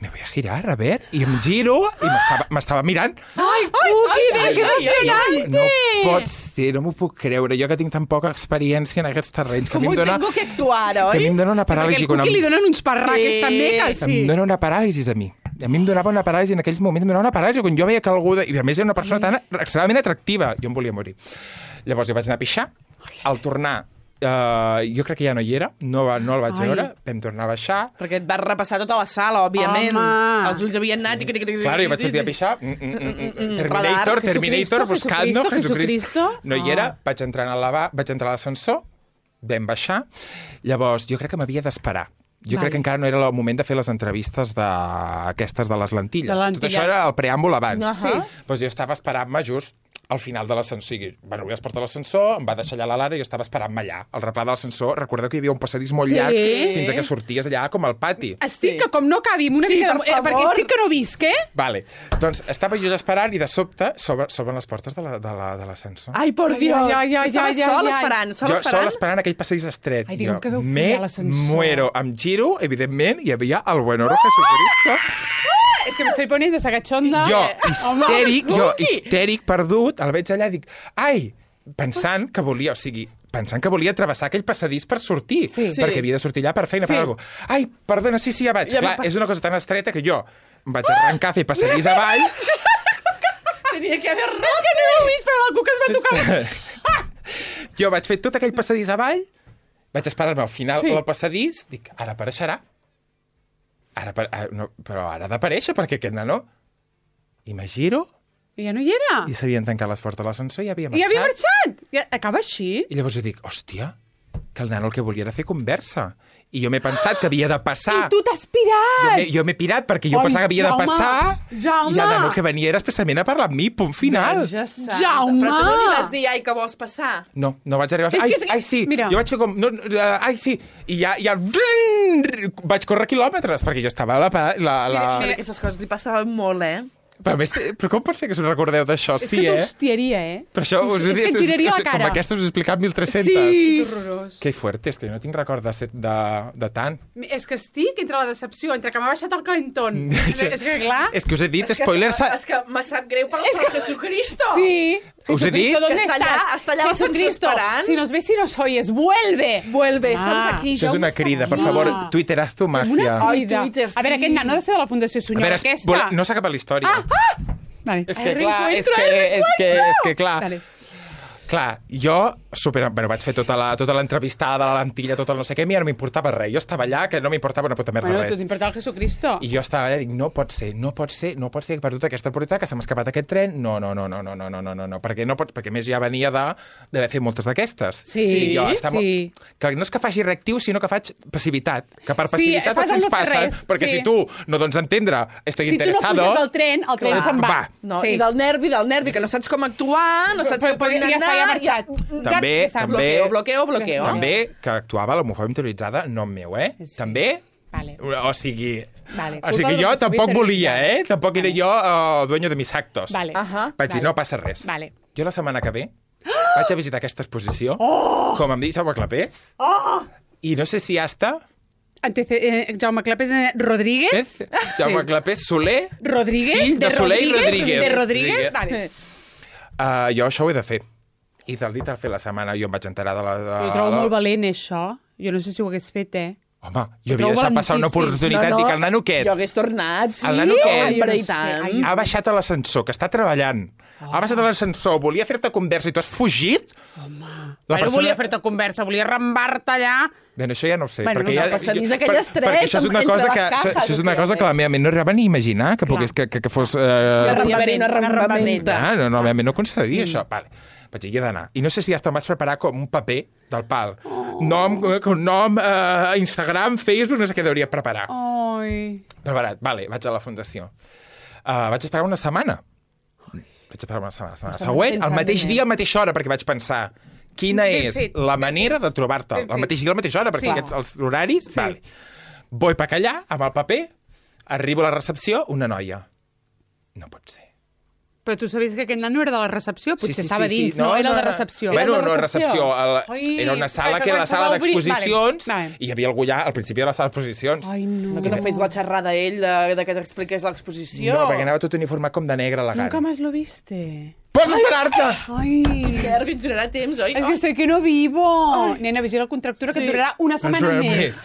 me voy a girar, a ver, i em giro, i m'estava- m'estava mirant. Ai, Cuqui, però que emocionante! No pot ser, no m'ho puc creure. Jo que tinc tan poca experiència en aquests terrenys, que a mi Com em dona, tengo que actuar, que a mi oi? em dona una Perquè paràlisi al Cuqui li donen uns parraques Sí. també, que sí. em dona una paràlisi a mi. A mi em donava una paràlisi, en aquells moments em donava una paràlisi, quan jo veia que algú... De... I a més era una persona tan extremadament atractiva. Jo em volia morir. Llavors jo vaig anar a pixar. Al tornar, eh, jo crec que ja no hi era, no, va, no el vaig Ai. veure, vam tornar a baixar. Perquè et vas repassar tota la sala, òbviament. Home. Els ulls havien anat... Claro, jo vaig sortir a pixar. Mm, mm, mm, mm. Terminator, Radar, Terminator, Jesucristo, buscant-no, Jesucristo. No hi era, vaig entrar al lavabo, vaig entrar a l'ascensor, vam baixar. Llavors, jo crec que m'havia d'esperar. Jo Vale. crec que encara no era el moment de fer les entrevistes d'aquestes de les lentilles. De la Tot lentilla. això era el preàmbul abans. Ahà. Sí. Doncs jo estava esperant-me just al final de l'ascensor. O sigui, van obrir les portes de l'ascensor, em va deixar allà la Lara i jo estava esperant-me allà. Al replà de l'ascensor, recordeu que hi havia un passadís molt Sí. llarg fins a que sorties allà com al pati. Estic Sí. que com no cabi amb una Sí, mica per de... eh, Perquè favor. estic que no visc, eh? Vale, doncs estava jo allà esperant i de sobte s'obren s'obren les portes de la- de la- de l'ascensor. Ai, por Dios. ai, ai, ai, Tu estaves ai, ai, sol ai. esperant, sol jo esperant? sol esperant aquell passadís estret. Ai, digue'm Jo que deu me follar a l'ascensor. muero. Em giro, evidentment, hi havia el buenoro Jesucristo. És que me estoy poniendo esa cachonda. Jo, Eh, histèric, home, jo, Cuqui. histèric, perdut, el veig allà i dic, ai, pensant que volia, o sigui, pensant que volia travessar aquell passadís per sortir, Sí. perquè Sí. havia de sortir allà per feina, Sí. per alguna cosa. Ai, perdona, sí, sí, ja vaig. Ja Clar, m'ha- és una cosa tan estreta que jo em vaig arrencar a fer passadís avall. Tenia que haver res. És que no ho he vist, però el Cuc es va tocar. Jo vaig fer tot aquell passadís avall, vaig esperar-me al final Sí. del passadís, dic, ara apareixerà. Ara, apa- ah, no, però ara ha d'aparèixer, perquè aquest nano... I me giro, I ja no hi era. i s'havien tancat les portes de l'ascensor i havia I marxat. havia marxat. I acaba així. I llavors jo dic, hòstia, que el nano el que volia era fer conversa. I jo m'he pensat que havia de passar. I tu t'has Jo pirat. m'he- Jo m'he pirat perquè jo Ai, pensava que havia Jaume, de passar. Jaume. I el nano que venia era expressament a parlar amb mi, punt final. Ja santa. Jaume! Però tu no li vas dir, ai, que vols passar? No, no vaig arribar a fer... És Ai, que és que- ai, sí, mira. jo vaig fer com... No, no, uh, ai, sí, i ja... ja vaig córrer quilòmetres, perquè jo estava a la... pa- la, la... Mira, aquestes coses li passaven molt, eh? Però, a més, però com pot ser que us recordeu d'això? És Sí, que eh? t'hostiaria, eh? Però això us, És que et giraria la cara. Com aquesta us he explicat mil tres-cents. Sí. És horrorós. Que fuerte, és que jo no tinc record de, ser- de, de tant. És que estic entre la decepció, entre que m'ha baixat el calentón. és que, clar... És que us he dit, És que- spoilers... És que me sap greu per, per Jesucristo. Sí. Us he dit Jesucristo, ¿dónde que està estás? allà- està allà Jesucristo, esperant. si nos ves y nos oyes, vuelve. Vuelve, estamos Ah. aquí. Això és Jaume una està crida, per aquí. favor, Ah. twitteraz tu Una màgia. Ai, crida. Twitter, A veure, sí. aquest nen no ha de ser de la Fundació A Sunyol, veure, es- aquesta. vol- no s'ha acabat la història. Vale. És que, clar, és que, és que, és que, clar, Vale. clar, jo super, bueno, vaig fer tota la, tota l'entrevistada, la lentilla, tot el no sé què, a mi no m'importava res. Jo estava allà, que no m'importava una puta merda Bueno, res. tu t'importava el Jesucristo. I jo estava allà i dic, no pot ser, no pot ser, no pot ser que per tota aquesta oportunitat que se m'ha escapat aquest tren, no, no, no, no, no, no, no, no, no, no, perquè no pot, perquè a més ja venia de d'haver fet moltes d'aquestes. Sí, I jo estava, sí. Que no és que faci reactiu, sinó que faig passivitat. Que per Sí, passivitat fas els el ens no fer passen, res, perquè sí. si tu no dones a entendre, estoy Si tu no interesado... puges al tren, el tren se'n va. va. No, Sí. I del nervi, del nervi, que no saps com actuar, no saps Però- què pot però ja anar... està, ja ha marxat. També, Ja està. també... Bloqueo, bloqueo, bloqueo. També que actuava l'homofòbia interioritzada, nom meu, eh? Sí. També... Vale. O sigui... Vale, O sigui, culpa jo de tampoc l'homofòbia volia, eh? interioritzada. Tampoc era Vale. jo el dueño de mis actos. Vale. Ahà. Vaig dir, Vale. no passa res. Vale. Jo la setmana que ve vaig a visitar aquesta exposició, oh! com em dic Jaume Clapés, oh! I no sé si ja està... Antece eh, Jaume Clapés eh, Rodríguez. Eh? Jaume Sí. Clapés Soler, Rodríguez. fill de, Soler i Rodríguez. De Rodríguez. Rodríguez. Vale. Uh, jo això ho he de fer. I del dit al fer la setmana jo em vaig enterar de la... De, Ho trobo la... molt valent, això. Jo no sé si ho hagués fet, eh? Home, jo Ho havia trobo deixat passar una valentíssim. oportunitat. No, no. Dic, el nano què? Jo hagués tornat, sí. El nano què? Hombre, i Jo no sé. tant. Ai, Ha baixat a l'ascensor, que està treballant. Oh. Ha baixat a l'ascensor, volia fer-te conversa i tu has fugit? Home. La Bueno, persona- volia fer-te conversa, volia rambar-te allà. Bé, això ja no ho sé. Bueno, perquè no ja, cal passar ni jo- aquell per- estret Perquè això és una entre cosa les que, cajas, això és una que cosa que la meva ment no arribava ni a imaginar que, pogués, que, que, que fos... Eh... Podria haver-hi una rambamenta. Ah, no, no, la meva ment no concedia mm. això. Vale. Vaig dir, hi he d'anar. I no sé si ja em vaig preparar com un paper del pal. Oh. Nom, con nom eh, Instagram, Facebook, no sé què hauria preparar. Oh. Ai. Preparat. Vale, vaig a la fundació. Uh, vaig esperar una setmana. Vaig esperar una setmana. La setmana Estava següent, al pensant mateix en dia, a la mateixa hora, perquè vaig pensar quina Ben és fet, la ben manera de trobar-te. Ben Al fet. mateix dia, a la mateixa hora, perquè Sí. aquests els horaris... Sí. Vale. Vull per allà, amb el paper, arribo a la recepció, una noia. No pot ser. Però tu sabies que aquest nano era de la recepció? Potser Sí, sí, estava sí, dins, sí. no, era de recepció. Bueno, Era de no, recepció. El, Ai, era una sala que que era la quan sala s'ha d'obrir- d'exposicions Vale, vale. i hi havia algú allà al principi de la sala d'exposicions. Ai, no. No, que no fes la xerrada ell de, de que t'expliqués l'exposició. No, perquè anava tot uniformat com de negre elegant. Nunca más lo viste. Pots esperar-te! Ai, Nervi, ens durarà temps, oi? es que estoy que no vivo. Nena, vigila el contractura, que Sí. et durarà una setmana Ens veurem més.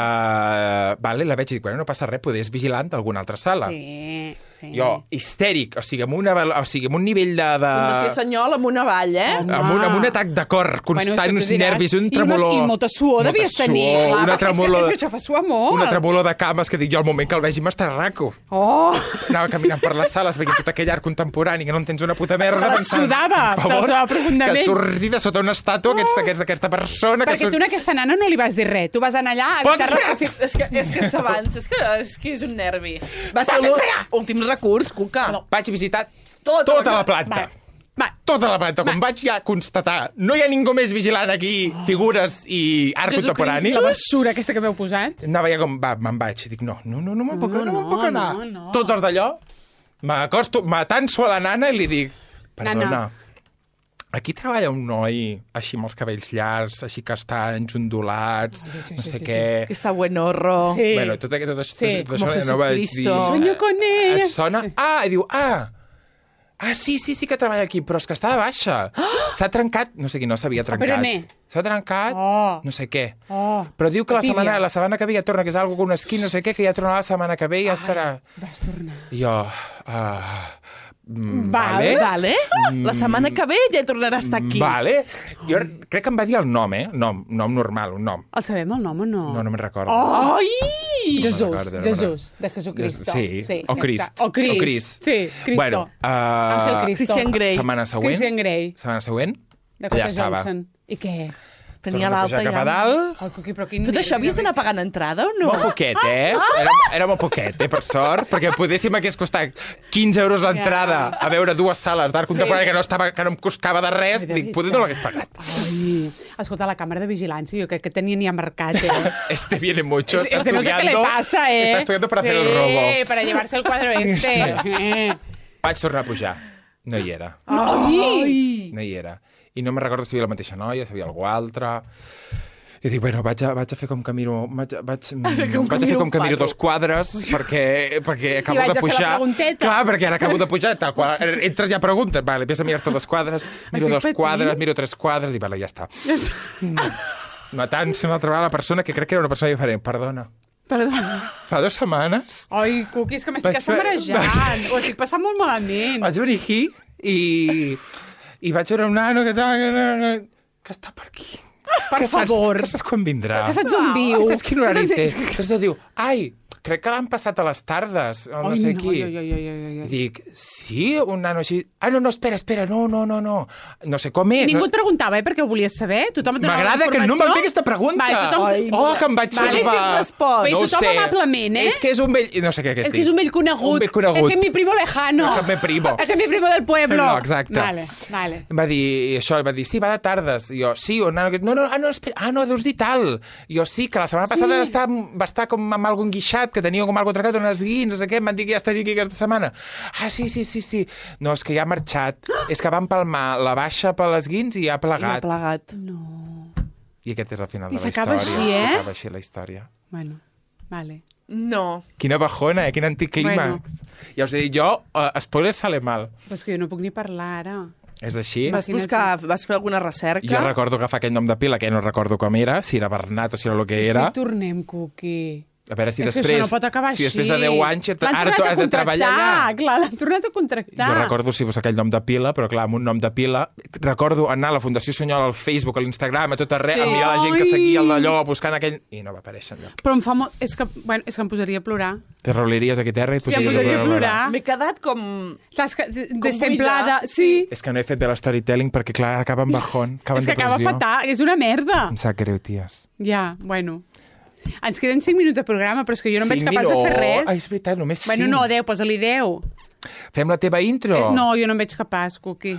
Uh, vale, la veig i dic, bueno, no passa res, poder és vigilant d'alguna altra sala. Sí, sí. Jo, histèric, o sigui, amb, una, vel- o sigui, amb un nivell de... de... Fundació Senyol amb una vall, eh? Home. amb, un, amb un atac de cor constant, Bueno, uns això t'ho diràs. nervis, un I tremolor... unes- I molta suor Molta devies tenir. suor, Clar, una perquè tremolor... És que, és que això fa suar molt. Una tremolor de cames que dic jo, al moment que el vegi m'estarraco. Oh, Anava caminant per les sales, veient tot aquell art contemporani que no entens una puta merda. Te la pensant, sudava, per te la favor, sudava profundament. Que surti de sota una estàtua aquesta, aquesta, aquesta persona... perquè que tu a aquesta nana no li vas dir res. Tu vas anar allà a Pots evitar esperar? les... És que, és que s'avança, és, que, és que és un nervi. Va ser l'últim recurs, Cuca. Vaig visitar Tota tota, la- la planta. Va, va. Tota la planta. Quan Va. vaig ja constatar, no hi ha ningú més vigilant aquí, figures i art contemporani. La basura aquesta que m'heu posat. Anava ja com, va, me'n vaig. I dic, no, no, no, no me'n puc, no, No, no, no, puc anar. no, no. Tots els d'allò, m'acosto, m'atanso a la nana i li dic, perdona, Nana. aquí treballa un noi així amb els cabells llargs, així castanys, ondulats, no sé què... Que està buenorro. Sí. Bueno, tot, aquest- tot, Sí, tot, tot como això no va dir... Jesucristo. Sueño con ella. Et sona? Ah, i diu, ah, ah, sí, sí, sí que treballa aquí, però és que està de baixa. S'ha trencat, no sé qui no s'havia trencat. peroné. S'ha trencat, Oh. no sé què. Oh, Però diu que la tíbia. setmana, la setmana que ve ja torna, que és algo com un esquí, no sé què, que ja tornarà la setmana que ve i ja estarà... vas tornar. I jo... Uh, mm, Vale. Vale? La setmana que ve ja tornarà a estar aquí. Vale. Jo crec que em va dir el nom, eh? Nom, nom normal, un nom. El sabem, el nom o no? No, no me'n recordo. Oh! Ai! Jesús, No me'n recordo, no me'n Jesús, de Jesucristo. Sí, sí o ja Crist. està. O Crist. O Crist. Sí, Cristo. Bueno, Ángel uh, Cristo. Christian Grey. setmana següent... Christian Grey. Setmana següent, De allà Cota estava. Johnson. I què? Tenia Torna a pujar l'alta cap a ja. dalt. Oh, Coqui, però quin Tot això nervi, havies d'anar pagant entrada o no? Molt poquet, eh? Era, era molt poquet, eh, per sort, perquè poder si m'hagués costat quinze euros l'entrada Ja. a veure dues sales d'art contemporani que no, estava, que no em costava de res, Ai, de dic, poder no l'hagués pagat. Ai, escolta, la càmera de vigilància jo crec que tenien ja marcat, eh? Este viene mucho, está Este no sé qué le estudiando, pasa, eh? está estudiando para hacer el Sí, robo. para llevarse el cuadro este. Eh. Vaig tornar a pujar. No hi era. Ai! No hi era. I no me'n recordo si hi havia la mateixa noia, si hi havia algú altre... I dic, bueno, vaig a, vaig a fer com que miro... Vaig, a- vaig, fer com vaig que a fer miro com un que miro quadre. dos quadres perquè, perquè acabo vaig de a fer la pujar. pregunteta. Clar, perquè ara acabo de pujar. Tal qual, entres ja preguntes. Vale, empieza a mirar-te dos quadres, miro Estic dos patint. quadres, miro tres quadres, i vale, ja està. Matant-se una altra vegada la persona que crec que era una persona diferent. Perdona. Perdona. Fa dues setmanes Ai, Cuqui, és que m'estic Vaig fer- escamarejant. Ho estic passant molt malament. vaig venir aquí i... I vaig veure un nano que, que està per aquí. Per que favor. Saps, que saps quan vindrà? Que saps on viu. Que saps quin horari té. Saps- Després diu, ai, crec que l'han passat a les tardes, o no Ai, sé no, qui. ai, ai, ai, ai, ai. I dic, sí, un nano així... Ah, no, no, espera, espera, no, no, no, no. No sé com és. Ningú no... et preguntava, eh, perquè ho volies saber? Tothom et donava M'agrada que no informació? me'n fes aquesta pregunta. Vale, tothom... Ai, Oh, que em vaig Vale, salvar. sí, respost. Bé, No ho tothom sé. amablement, eh? És que és un vell... No sé què, què Es estic. que es un vell conegut. Un vell conegut. Es que es mi primo lejano. Es que mi primo. Es que es mi primo del pueblo. No, exacte. Vale, vale. Em va dir i això, em va dir, sí, va de tardes. I jo, sí, un nano... que- No, no, ah, no, espera, ah, no, deus dir tal. I jo, sí, que la setmana passada va estar, va estar com amb algun guixat, que tenia com algo trencat, unes guins, no sé què, em van dir que ja estaria aquí aquesta setmana. Ah, sí, sí, sí, sí. No, és que ja ha marxat. És que va empalmar la baixa per les guins i ha I ha plegat. plegat. No. I aquest és el final I de la s'acaba història. així, eh? S'acaba així la història. Bueno, vale. No. Quina bajona, eh? Quin anticlímax. Bueno. Ja us he dit, jo, uh, spoiler sale mal. Però és que jo no puc ni parlar ara. És així? Vas buscar, vas fer alguna recerca? Jo recordo agafar aquell nom de pila, que no recordo com era, si era Bernat o si era el que era. Si tornem, Cuqui. A veure si és després... que això no pot acabar si així. després de deu anys et- L'han ara tu tornat has a de treballar contractar, allà. Clar, l'han tornat a contractar. Jo recordo si fos aquell nom de pila, però clar, amb un nom de pila... Recordo anar a la Fundació Sunyol, al Facebook, a l'Instagram, a tot arreu, Sí. a mirar la gent que Ai. seguia el d'allò, buscant aquell... I no va aparèixer enlloc. Però em fa molt... És que, bueno, és que em posaria a plorar. Te rauliries aquí a terra i Sí, em posaries posaria a plorar. M'he quedat com... Estàs ca- destemplada. buida. Sí. És que no he fet bé l'storytelling perquè, clar, acaba en bajón, acaba És en que acaba depressió. fatal. És una merda. Em sap greu, ties. Ja, bueno. Ens queden cinc minuts de programa, però és que jo no em veig Cinc capaç de fer minuts? res. Ai, és veritat, només cinc. Bueno, no, deu, posa-li deu. Fem la teva intro? Eh, no, jo no em veig capaç, Cuqui.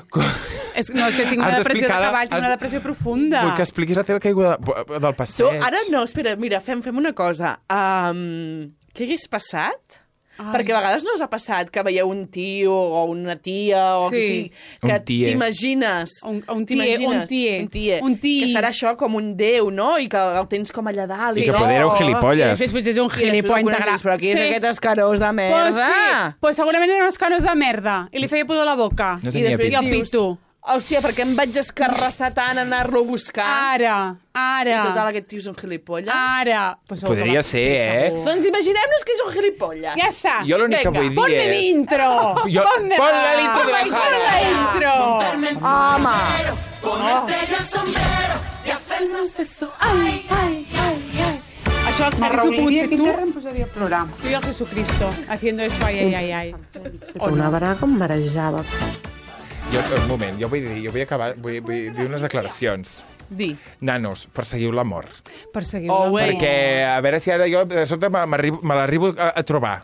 és, no, és que tinc una Has depressió de d'explicar la- cavall, tinc has- una depressió profunda. Vull que expliquis la teva caiguda del Tu, passeig. ara no, espera, mira, fem, fem una cosa. Um, què hagués passat? Ai. Perquè a vegades no us ha passat que veieu un tio o una tia o Sí. que sigui, Un que tie. t'imagines... Un- un tie, t'imagines, un tie, un tie, un tie. que serà això com un déu, no? I que el tens com allà dalt. I que oh, poder era un I gilipolles. després és un I després gilipolles el integral. coneixes, però aquí és aquest escarós de Pues merda. sí, pues segurament eren uns canos de merda. I li feia pudor a la boca. No I tenia després pit. el Dius, pito. Hòstia, per què em vaig escarrassar tant a anar-lo a buscar? Ara, ara. I total, aquest tio és un gilipolles? Ara. Pues segur que Podria va- ser, eh? segur. Doncs imaginem-nos que és un gilipolles. Ja està. Jo l'únic que Vinga, vull dir Ponme mi és... intro. Jo- Ponme pon la intro de la Pon Sara. la intro. Home! Ponerte el sombrero y hacernos eso. Ai, ai, ai, ai. Això, reuniria aquí tu, terra em posaria a plorar. tu y el Jesucristo haciendo eso, ai, ai, ai, ai. O Una no. braga em marejava. Jo, un moment, jo vull dir, jo vull acabar, vull, vull dir unes declaracions. Di. Nanos, perseguiu l'amor. Perseguiu Oh, la wait. mort. Perquè, a veure si ara jo de sobte me, m'arribo- me l'arribo a, a trobar.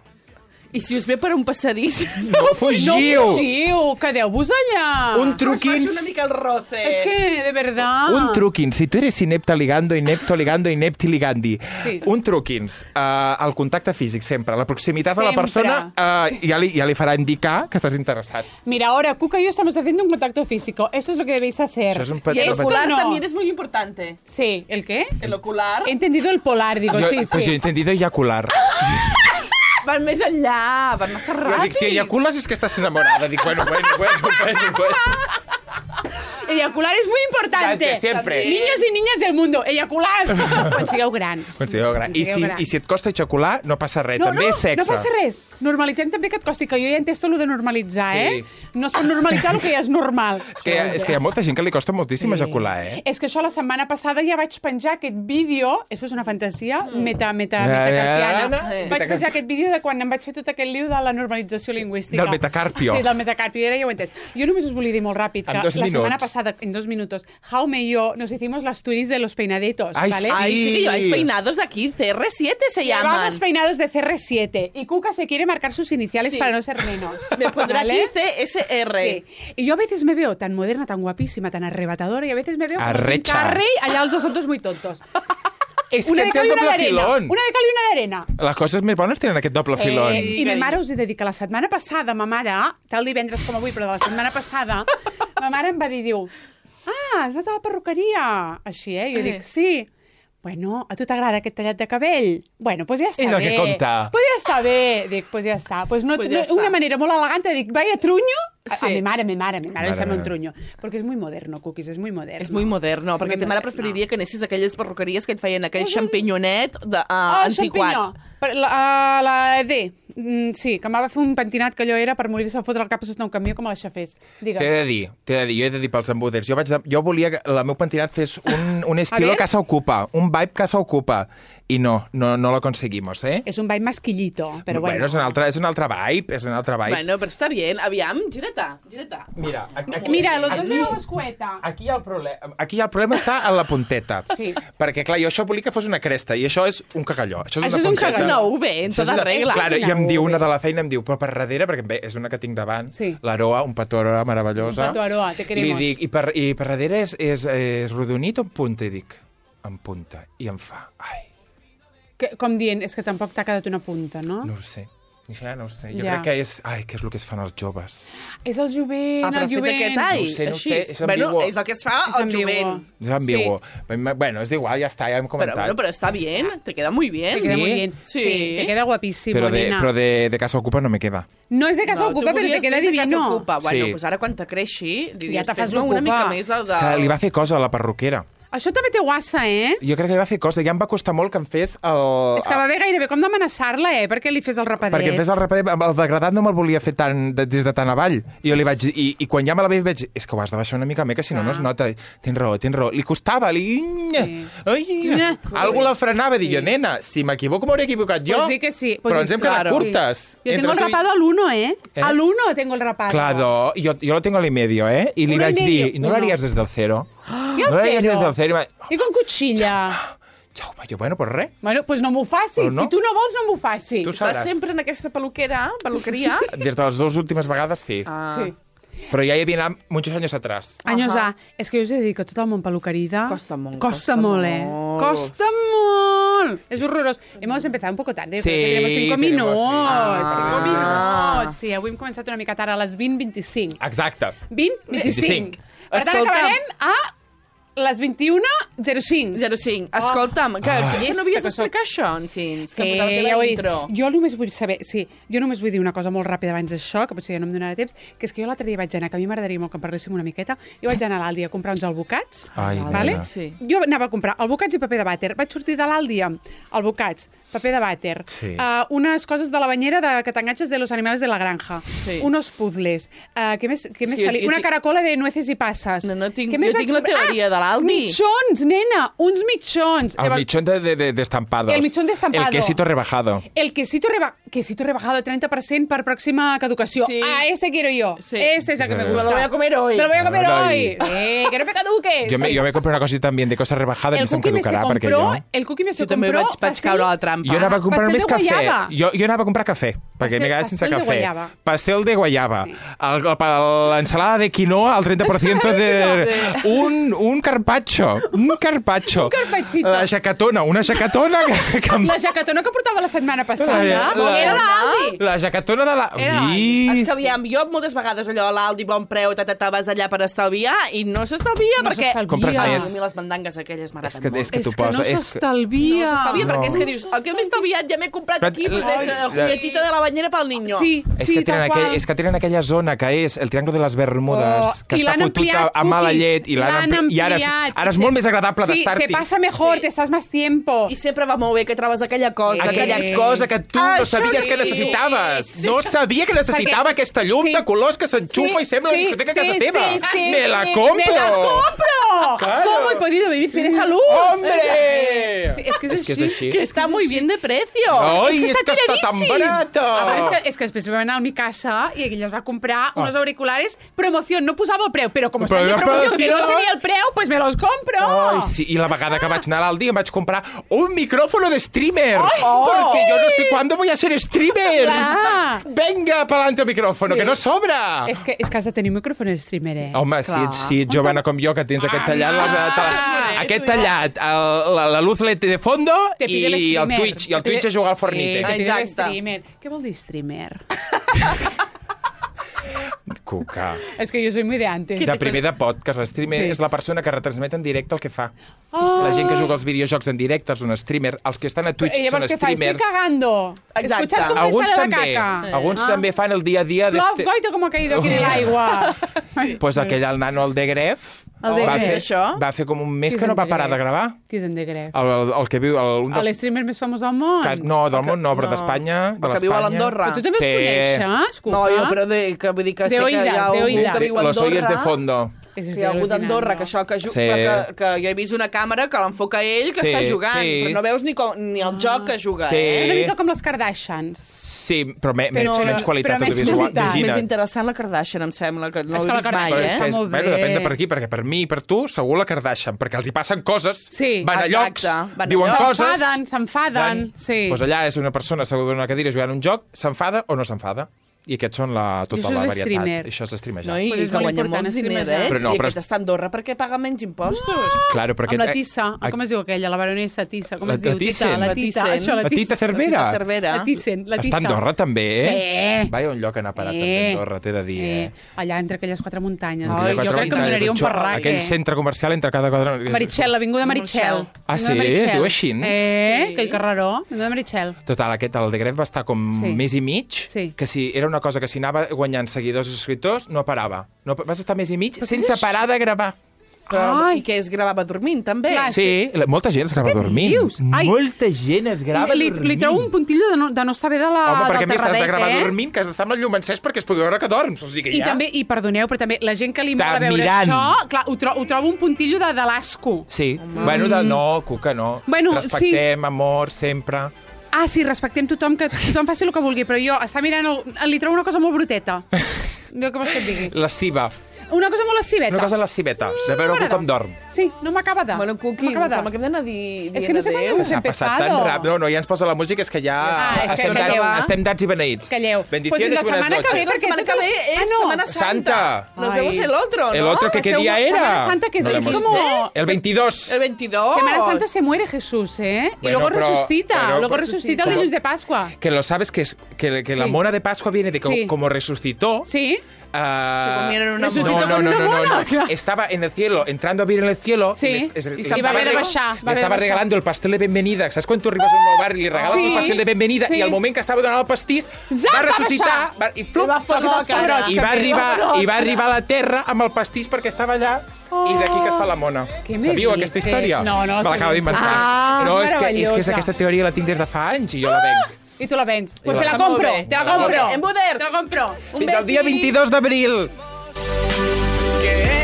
I si us ve per un passadís... No fugiu! No fugiu, quedeu-vos allà. Un Us faci truquins... una mica el roce. És que, de verdad. Un truquins, si tu eres inepta ligando, inepto ligando, inepti ligandi. Sí. Un truquins, uh, el contacte físic sempre, la proximitat a la Sempre. persona uh, ja, li, ja li farà indicar que estàs interessat. Mira, ahora Cuca y yo estamos haciendo un contacto físico. Esto es lo que debéis hacer. Això és un Y petit- el esto ocular no. también es muy importante. Sí, ¿el qué? El ocular He entendido el polar, digo, Jo, sí, pues jo he sí. entendido eyacular. van més enllà, van massa Jo ràpid. dic, si eyacules és que estàs enamorada. Dic, bueno, bueno, bueno, bueno, bueno. Eyacular es muy importante. Importante, siempre. Niños y niñas del mundo, eyacular. Quan sigueu grans. Quan sigueu gran. I Quan si, sigueu grans. I si et costa ejacular, no passa res. No, També no, és sexe. no passa res. Normalitzem també que et costi, que jo ja he entès tot el de normalitzar, Sí. eh? No es pot normalitzar el que ja és normal. És que, hi ha, és que hi ha molta gent que li costa moltíssim ejacular, eh? És que això la setmana passada ja vaig penjar aquest vídeo, això és una fantasia, meta, meta, Ja, ja, metacarpiana. ja, ja. Vaig penjar aquest vídeo de quan em vaig fer tot aquest liu de la normalització lingüística. Del metacarpio. Sí, del metacarpio, ara ja ho he entès. Jo només us volia dir molt ràpid que En dos la setmana minuts. passada, en dos minutos, Jaume y yo nos hicimos las turis de los peinaditos, Ay, ¿vale? sí. Ay, sí que lleváis peinados de aquí, C R siete se llaman. Llevamos peinados de C R siete y Cuca se quiere marcar sus iniciales Sí. para no ser menos. Me pondré ¿vale? aquí C S R. Sí. Y yo a veces me veo tan moderna, tan guapísima, tan arrebatadora, y a veces me veo como Jim Arrecha. Carrey, allá los dos tontos muy tontos. És Una que de té cal el i una doble d'arena. filón. Una de cal i una d'arena. Les coses més bones tenen aquest doble filón. Eh, I ma mare us he de dir que la setmana passada, ma mare, tal divendres com avui, però de la setmana passada, ma mare em va dir, diu, ah, has anat a la perruqueria. Així, eh? Jo Eh. dic, sí. Bueno, a tu t'agrada aquest tallat de cabell? Bueno, pues ja està És el bé. que compta. Pues ja està bé. Dic, pues ja està. Pues no, Pues no, ja està. una manera molt elegant de dir, vaya truño. A, Sí. a mi mare, a mi mare, a mi mare li Mare sembla un meva. truño. Perquè és muy moderno, Cookies, és muy moderno. És muy moderno, perquè Muy ta mare moderno. preferiria que anessis a aquelles perruqueries que et feien aquell Pues un- xampinyonet de, uh, Oh, antiquat. champinyó. Per La, uh, la D. Mm, sí, que em va fer un pentinat que allò era per morir-se a fotre el cap sota un camió com a les xafers. Digues. T'he de dir, t'he de dir, jo he de dir pels embuders. Jo, vaig de, jo volia que el meu pentinat fes un, un estilo ver? Casa Ocupa, un vibe Casa Ocupa. I no, no, no lo conseguimos, eh? És un ball masquillito, però bueno. Bueno, és un altre, és un altre vibe, és un altre vibe. Bueno, però està bien. Aviam, gira-te, gira-te. Mira, aquí, Mira, los dos aquí, veo l'escueta. aquí, el problema, aquí el problema està en la punteta. Sí. Perquè, clar, jo això volia que fos una cresta, i això és un cagalló. Això és, Això una és un punteta. cagalló. No, bé, en Això és tota una- regla. Clar, i em No, diu bé. una de la feina, em diu, però per darrere, perquè bé, és una que tinc davant, Sí. l'Aroa, un petó Aroa meravellosa. Un petó Aroa, te queremos. Li dic, i per, i per darrere és, és, és rodonit o en punta? I dic, en punta. I em fa, ai, Que, com dient, és que tampoc t'ha quedat una punta, no? no ho sé. Això ja no ho sé. Jo Ja. crec que és... Ai, què és el que es fan els joves? És el jovent, Ah, però el fet jovent. aquest ai, No ho sé, no ho així. sé, és bueno, ambigu. és el que es fa És al ambigu. jovent. És ambigu. Bueno, és igual, ja està, ja hem Però, comentat. bueno, però està bien, te queda muy bien. Te queda Sí? muy bien. Sí. Sí, te queda guapísimo, però de, nena. però de, de Casa Ocupa no me queda. No és de casa No, ocupa, tu però te volies queda més de casa divino. ocupa. Bueno, Sí. pues ara quan te creixi, li Ja dius, te fas fes-me una l'ocupa. mica més del... És que li va fer cosa a la perruquera. Això també té guassa, eh? Jo crec que li va fer cosa. Ja em va costar molt que em fes el... És que va haver gairebé com d'amenaçar-la, eh? Perquè li fes el rapadet. Perquè em fes el rapadet, amb el degradat no me'l volia fer tan, de, des de tan avall. I jo li vaig dir, i, i quan ja me la veig, vaig dir, és que ho has de baixar una mica més, que si no, no es nota. Tens raó, tens raó. Li costava, li... Sí. Ai, algú la frenava, dic jo, nena, si m'equivoco m'hauré equivocat jo. Pues sí que sí. Pues Però sí, ens hem quedat claro. curtes. Yo tengo Entre el tu i- rapado al uno, ¿eh? ¿Eh? Al uno tengo el rapado. Claro, yo, yo lo tengo al y medio, ¿eh? Y le Uno y vaig medio, dir, ¿no uno. lo harías desde el cero? I el No lo harías cero? desde el cero? I va... I con cuchilla. Jaume, jo, bueno, pues res. Bueno, pues no m'ho facis. Però no. Si tu no vols, no m'ho facis. Tu Vas sabràs. sempre en aquesta peluquera, peluqueria. Des de les dues últimes vegades, sí. Ah. Sí. Però ja hi havia anat muchos años atrás. Años Ajá. A. És que jo us he de dir que tot el món peluquerida... Costa molt, Costa costa molt, eh? molt. Costa molt. Es horrorós. Hemos empezado un poco tarde. Sí, porque tenemos cinco tenemos- minuts. Ah. Cinco minuts. Sí, avui hem començat una mica tard, a les vint vint-i-cinc. Exacte. vint vint-i-cinc. Per tant, Escolta'm. acabarem a les vint-i-una zero cinc. zero cinc. Escolta'm, que, Ah. que, que no havies Que soc- d'explicar això, Encins? Sí, Que posar-te ja ho la he dit. intro. Jo només vull saber, sí, jo només vull dir una cosa molt ràpida abans d'això, que potser ja no em donarà temps, que és que jo l'altre dia vaig anar, que a mi m'agradaria molt que en parléssim una miqueta, jo vaig anar a l'Aldi a comprar uns albucats, Ai, vale? nena. Sí. Jo anava a comprar albucats i paper de vàter. Vaig sortir de l'Aldi amb albucats, paper de vàter, Sí. uh, unes coses de la banyera de, que t'enganxes de los animales de la granja, Sí. unos puzzles, uh, què més, què més Sí, jo- sali? jo Una tinc- caracola de nueces i passes. No, no, tinc- Què jo més tinc vaig la comprar? teoria de l'Aldi. Ah, mitjons, nena, uns mitjons. El Llavors, mitjón de, de, de, de estampados. El mitjón de estampado. El quesito rebajado. El quesito, reba quesito rebajado treinta per cent per pròxima caducació. Sí. Ah, este quiero yo. Sí. Este es el que me Me gusta. lo voy a comer hoy. Me lo voy a comer Ay. hoy. Eh, que no me caduque. Yo me, Sí. yo me compré una cosita también de cosas rebajadas y El se em cookie me se caducarà perquè compró, jo... el cookie me se Jo també compró vaig, vaig caure a la trampa. Jo anava a comprar pastel només de cafè. guayaba. Jo, jo anava a comprar cafè, perquè Pastel- m'he quedat sense pastel de cafè. guayaba. Pastel de guayaba. El, el, l'ensalada de quinoa al trenta per cent de... un, un carpaccio. Un carpaccio. Un carpaccio. La jacatona. Una jacatona que... que em... La jacatona que portava la setmana passada La- la- era l'Aldi. La jacatona de la... Era Ui. És que aviam, jo moltes vegades allò a l'Aldi, bon preu, ta, ta, ta, vas allà per estalviar i no s'estalvia No perquè... s'estalvia. Compres Ai, més. a mi les mandangues aquelles m'agraden És que, és molt. que És t'ho que no posa... és que- No s'estalvia. s'estalvia No. perquè és que dius, el que m'he estalviat ja m'he comprat aquí, pues és el juguetito de la banyera pel niño. Sí, És, sí, que tenen tal aquell, qual. és que tenen aquella zona que és el Triangle de les Bermudes, Oh, que i està l'han fotut a, ampliat, a mala cookies. llet, i l'han L'han ampli... I ara, és, ampliat. ara és Se- molt més agradable Sí, d'estar-hi. se pasa mejor, Sí. te estás más tiempo. I sempre va molt bé que trobes aquella cosa. Aquella Sí. cosa que tu no Això sabies sí. que necessitaves. No sabia que necessitava Perquè- aquesta llum sí. de colors que s'enxufa Sí, i sembla sí, una discoteca a casa sí, teva. sí, sí, Me la sí, compro! ¡Me la compro! Claro. ¿Cómo he podido vivir sin esa luz? ¡Hombre! Sí, es que es, És que és així. així. Que està muy bien de precio. Ai, és és que que està està tan tiradíssim. barata! A veure, és que, és que després vam anar a mi casa i ella es va comprar unos auriculares promoción, no posava el preu, però com Però estan de era promoció que no promoció. seria el preu, pues me los compro. Ai, sí, i la vegada que vaig anar a l'Aldi em vaig comprar un micrófono de streamer. Porque yo no sé cuándo voy a ser streamer. Clar. Venga, pa'lante el micrófono, Sí. que no sobra. És que, és que has de tenir un micròfon de streamer, eh? Home, si Clar. ets, si ets jovena com jo, que tens aquest tallat, la, la, Ah, aquest tu ja. tallat, el, la, la luz L E D de fondo Te pide i el streamer. Twitch, i el Te pide- Twitch a jugar al Sí, Fornite. te pide Exacte. streamer. Què vol dir streamer? Cuca. És que jo soy muy de antes. De primer de podcast, l'streamer Sí. és la persona que retransmet en directe el que fa. Oh. La gent que juga als videojocs en directe és un streamer, els que estan a Twitch I llavors són què fa? Estoy streamers. cagando. Exacte. Escuchad cómo me Alguns sale també, la caca. alguns Ah. també fan el dia a dia Love d'este... goito como ha caído aquí del agua. Pues aquell el nano, el de Gref, El de va, Gref. fer, això? va fer com un mes Qui que és no en va De parar Gref? de gravar. Qui és en De Gref? El, el, el que viu... El, un dels, L'streamer més famós del món? que, no, del món no, però No. d'Espanya. De El que viu a l'Espanya. l'Andorra. Però tu també Sí. els coneixes, Cuca? No, jo, però de, que vull dir que sé De que hi oïdes, ha de algú oïdes. que viu a Los oyes de Andorra. fondo. És que Que hi ha algú al·lucinant, d'Andorra, no? que això que, ju... Sí. però que, que jo he vist una càmera que l'enfoca ell, que Sí, està jugant, sí. però no veus ni, com, ni el joc que juga, Sí. eh? És una mica com les Kardashians. Sí, però, me, Però- menys, menys qualitat però menys audiovisual. qualitat. És més Imagina't. interessant la Kardashian, em sembla, que no És l'he que la vist mai, Kardashian eh? està és, molt bueno, bé. depèn de per aquí, perquè per mi i per tu, segur la Kardashian, perquè els hi passen coses, Sí. van a llocs, Exacte, van a diuen llocs. coses... S'enfaden, s'enfaden, sí. Doncs allà és una persona asseguda en una cadira jugant un joc, s'enfada o no s'enfada. I aquests són la, tota això la és varietat. streamer. Això és streamejar. No, i Pues és que molt guanya important, molts streamejar. diners, eh? Però no, I però- aquest està a Andorra perquè paga menys impostos. Claro, perquè... Amb la Tissa, eh, com es diu aquella? La baronessa Tissa, com La- es diu? la Thyssen. Tita, la La Tita, Thyssen. això, la La Tita Tissa. Cervera. La Cervera. La Thyssen, la Tissa. Està a Andorra, també, eh? Sí. Vaya un lloc a anar a parar, Sí. també, a Andorra, t'he de dir, eh? Eh, allà entre aquelles quatre muntanyes. Entre Ai, quatre jo crec que em muntanyes, donaria un això, parrac, Aquell eh? centre comercial entre cada quadre... Meritxell, l'Avinguda Meritxell. Ah, Avinguda sí? Meritxell. Es diu així? Eh, Sí. aquell carreró. Avinguda Meritxell. Total, aquest, el de Gref va estar com Sí. mes i mig, Sí. que si era una cosa que si anava guanyant seguidors i subscriptors, no parava. No, vas estar mes i mig què sense és parar de gravar. Però, Ai. I que es gravava dormint, també. Clar, Sí, la- molta gent es grava dormint. dius? Ai. Molta gent es grava Li, dormint. li trobo un puntillo de no, de no estar bé de la, Home, perquè a del més t'has de terradet, gravar eh? dormint, que has d'estar amb el llum encès perquè es pugui veure que dorms. O sigui que I ja... també, i perdoneu, però també la gent que li Està mola veure mirant. això, clar, ho, tro ho trobo un puntillo de, de l'asco. Sí, bueno, de, no, Cuca, no. Bueno, Respectem, amor, sempre. Ah, sí, respectem tothom, que tothom faci el que vulgui, però jo està mirant, el, li trobo una cosa molt bruteta. Veu què vols que et digui? Lasciva. Una cosa molt lasciveta. Una cosa lasciveta, de veure algú m'agrada. com dorm. Sí, no m'acaba de. Bueno, no Cookies, em m'acaba de. sembla que hem d'anar di És que no sé quan adéu. ens S'ha hem passat tan empezado. ràpid. No, no, ja ens posa la música, és que ja Ah, és que estem, calleu. dats, estem dats i beneïts. Calleu. Bendiciones Pues la y buenas setmana que ve, noches. La perquè setmana que totes- ve és Ah, no. Setmana Santa. Santa. Nos Ai. vemos el otro, ¿no? ¿El otro que qué Seu- día era? Semana Santa, que es, No lo es hemos como... visto. El veintidós. El veintidós. Semana Santa se muere Jesús, ¿eh? Y Bueno, luego pero- resucita. pero- luego pero- resucita el ¿cómo? dilluns de Pascua. Que lo sabes que, es, que, que la Sí. mona de Pascua viene de que Sí. como resucitó... Sí. ah, Se comieron una Resucitó mona. no, con no, no, una no, no, mona, no. claro. Estaba en el cielo, entrando a vivir en el cielo. Sí. y les- es- Y le se estaba va a haver de reg- baixar, va a Le haver de estaba baixar. regalando el pastel de bienvenida. ¿Sabes quan tu arribes a un nou barri i li regales Sí. el pastel de bienvenida Sí. i al moment que estava donant el pastís Zap, va va ressuscitar baixar. va, i, flup, I va fotre la cara. i va que arribar va i va arribar a la terra amb el pastís perquè estava allà i d'aquí que es fa la mona. Què me Sabíeu dices? aquesta història? No, no la Me l'acabo sabia. d'inventar. Ah, no, és que, és que és meravellosa. aquesta teoria la tinc des de fa anys i jo la venc. I tu la vens. Pues Jo te la la venc. compro, Molt bé. te la Molt compro. bé. En Buders. Te la compro. Un Fins el dia besi. veintidós d'abril. Que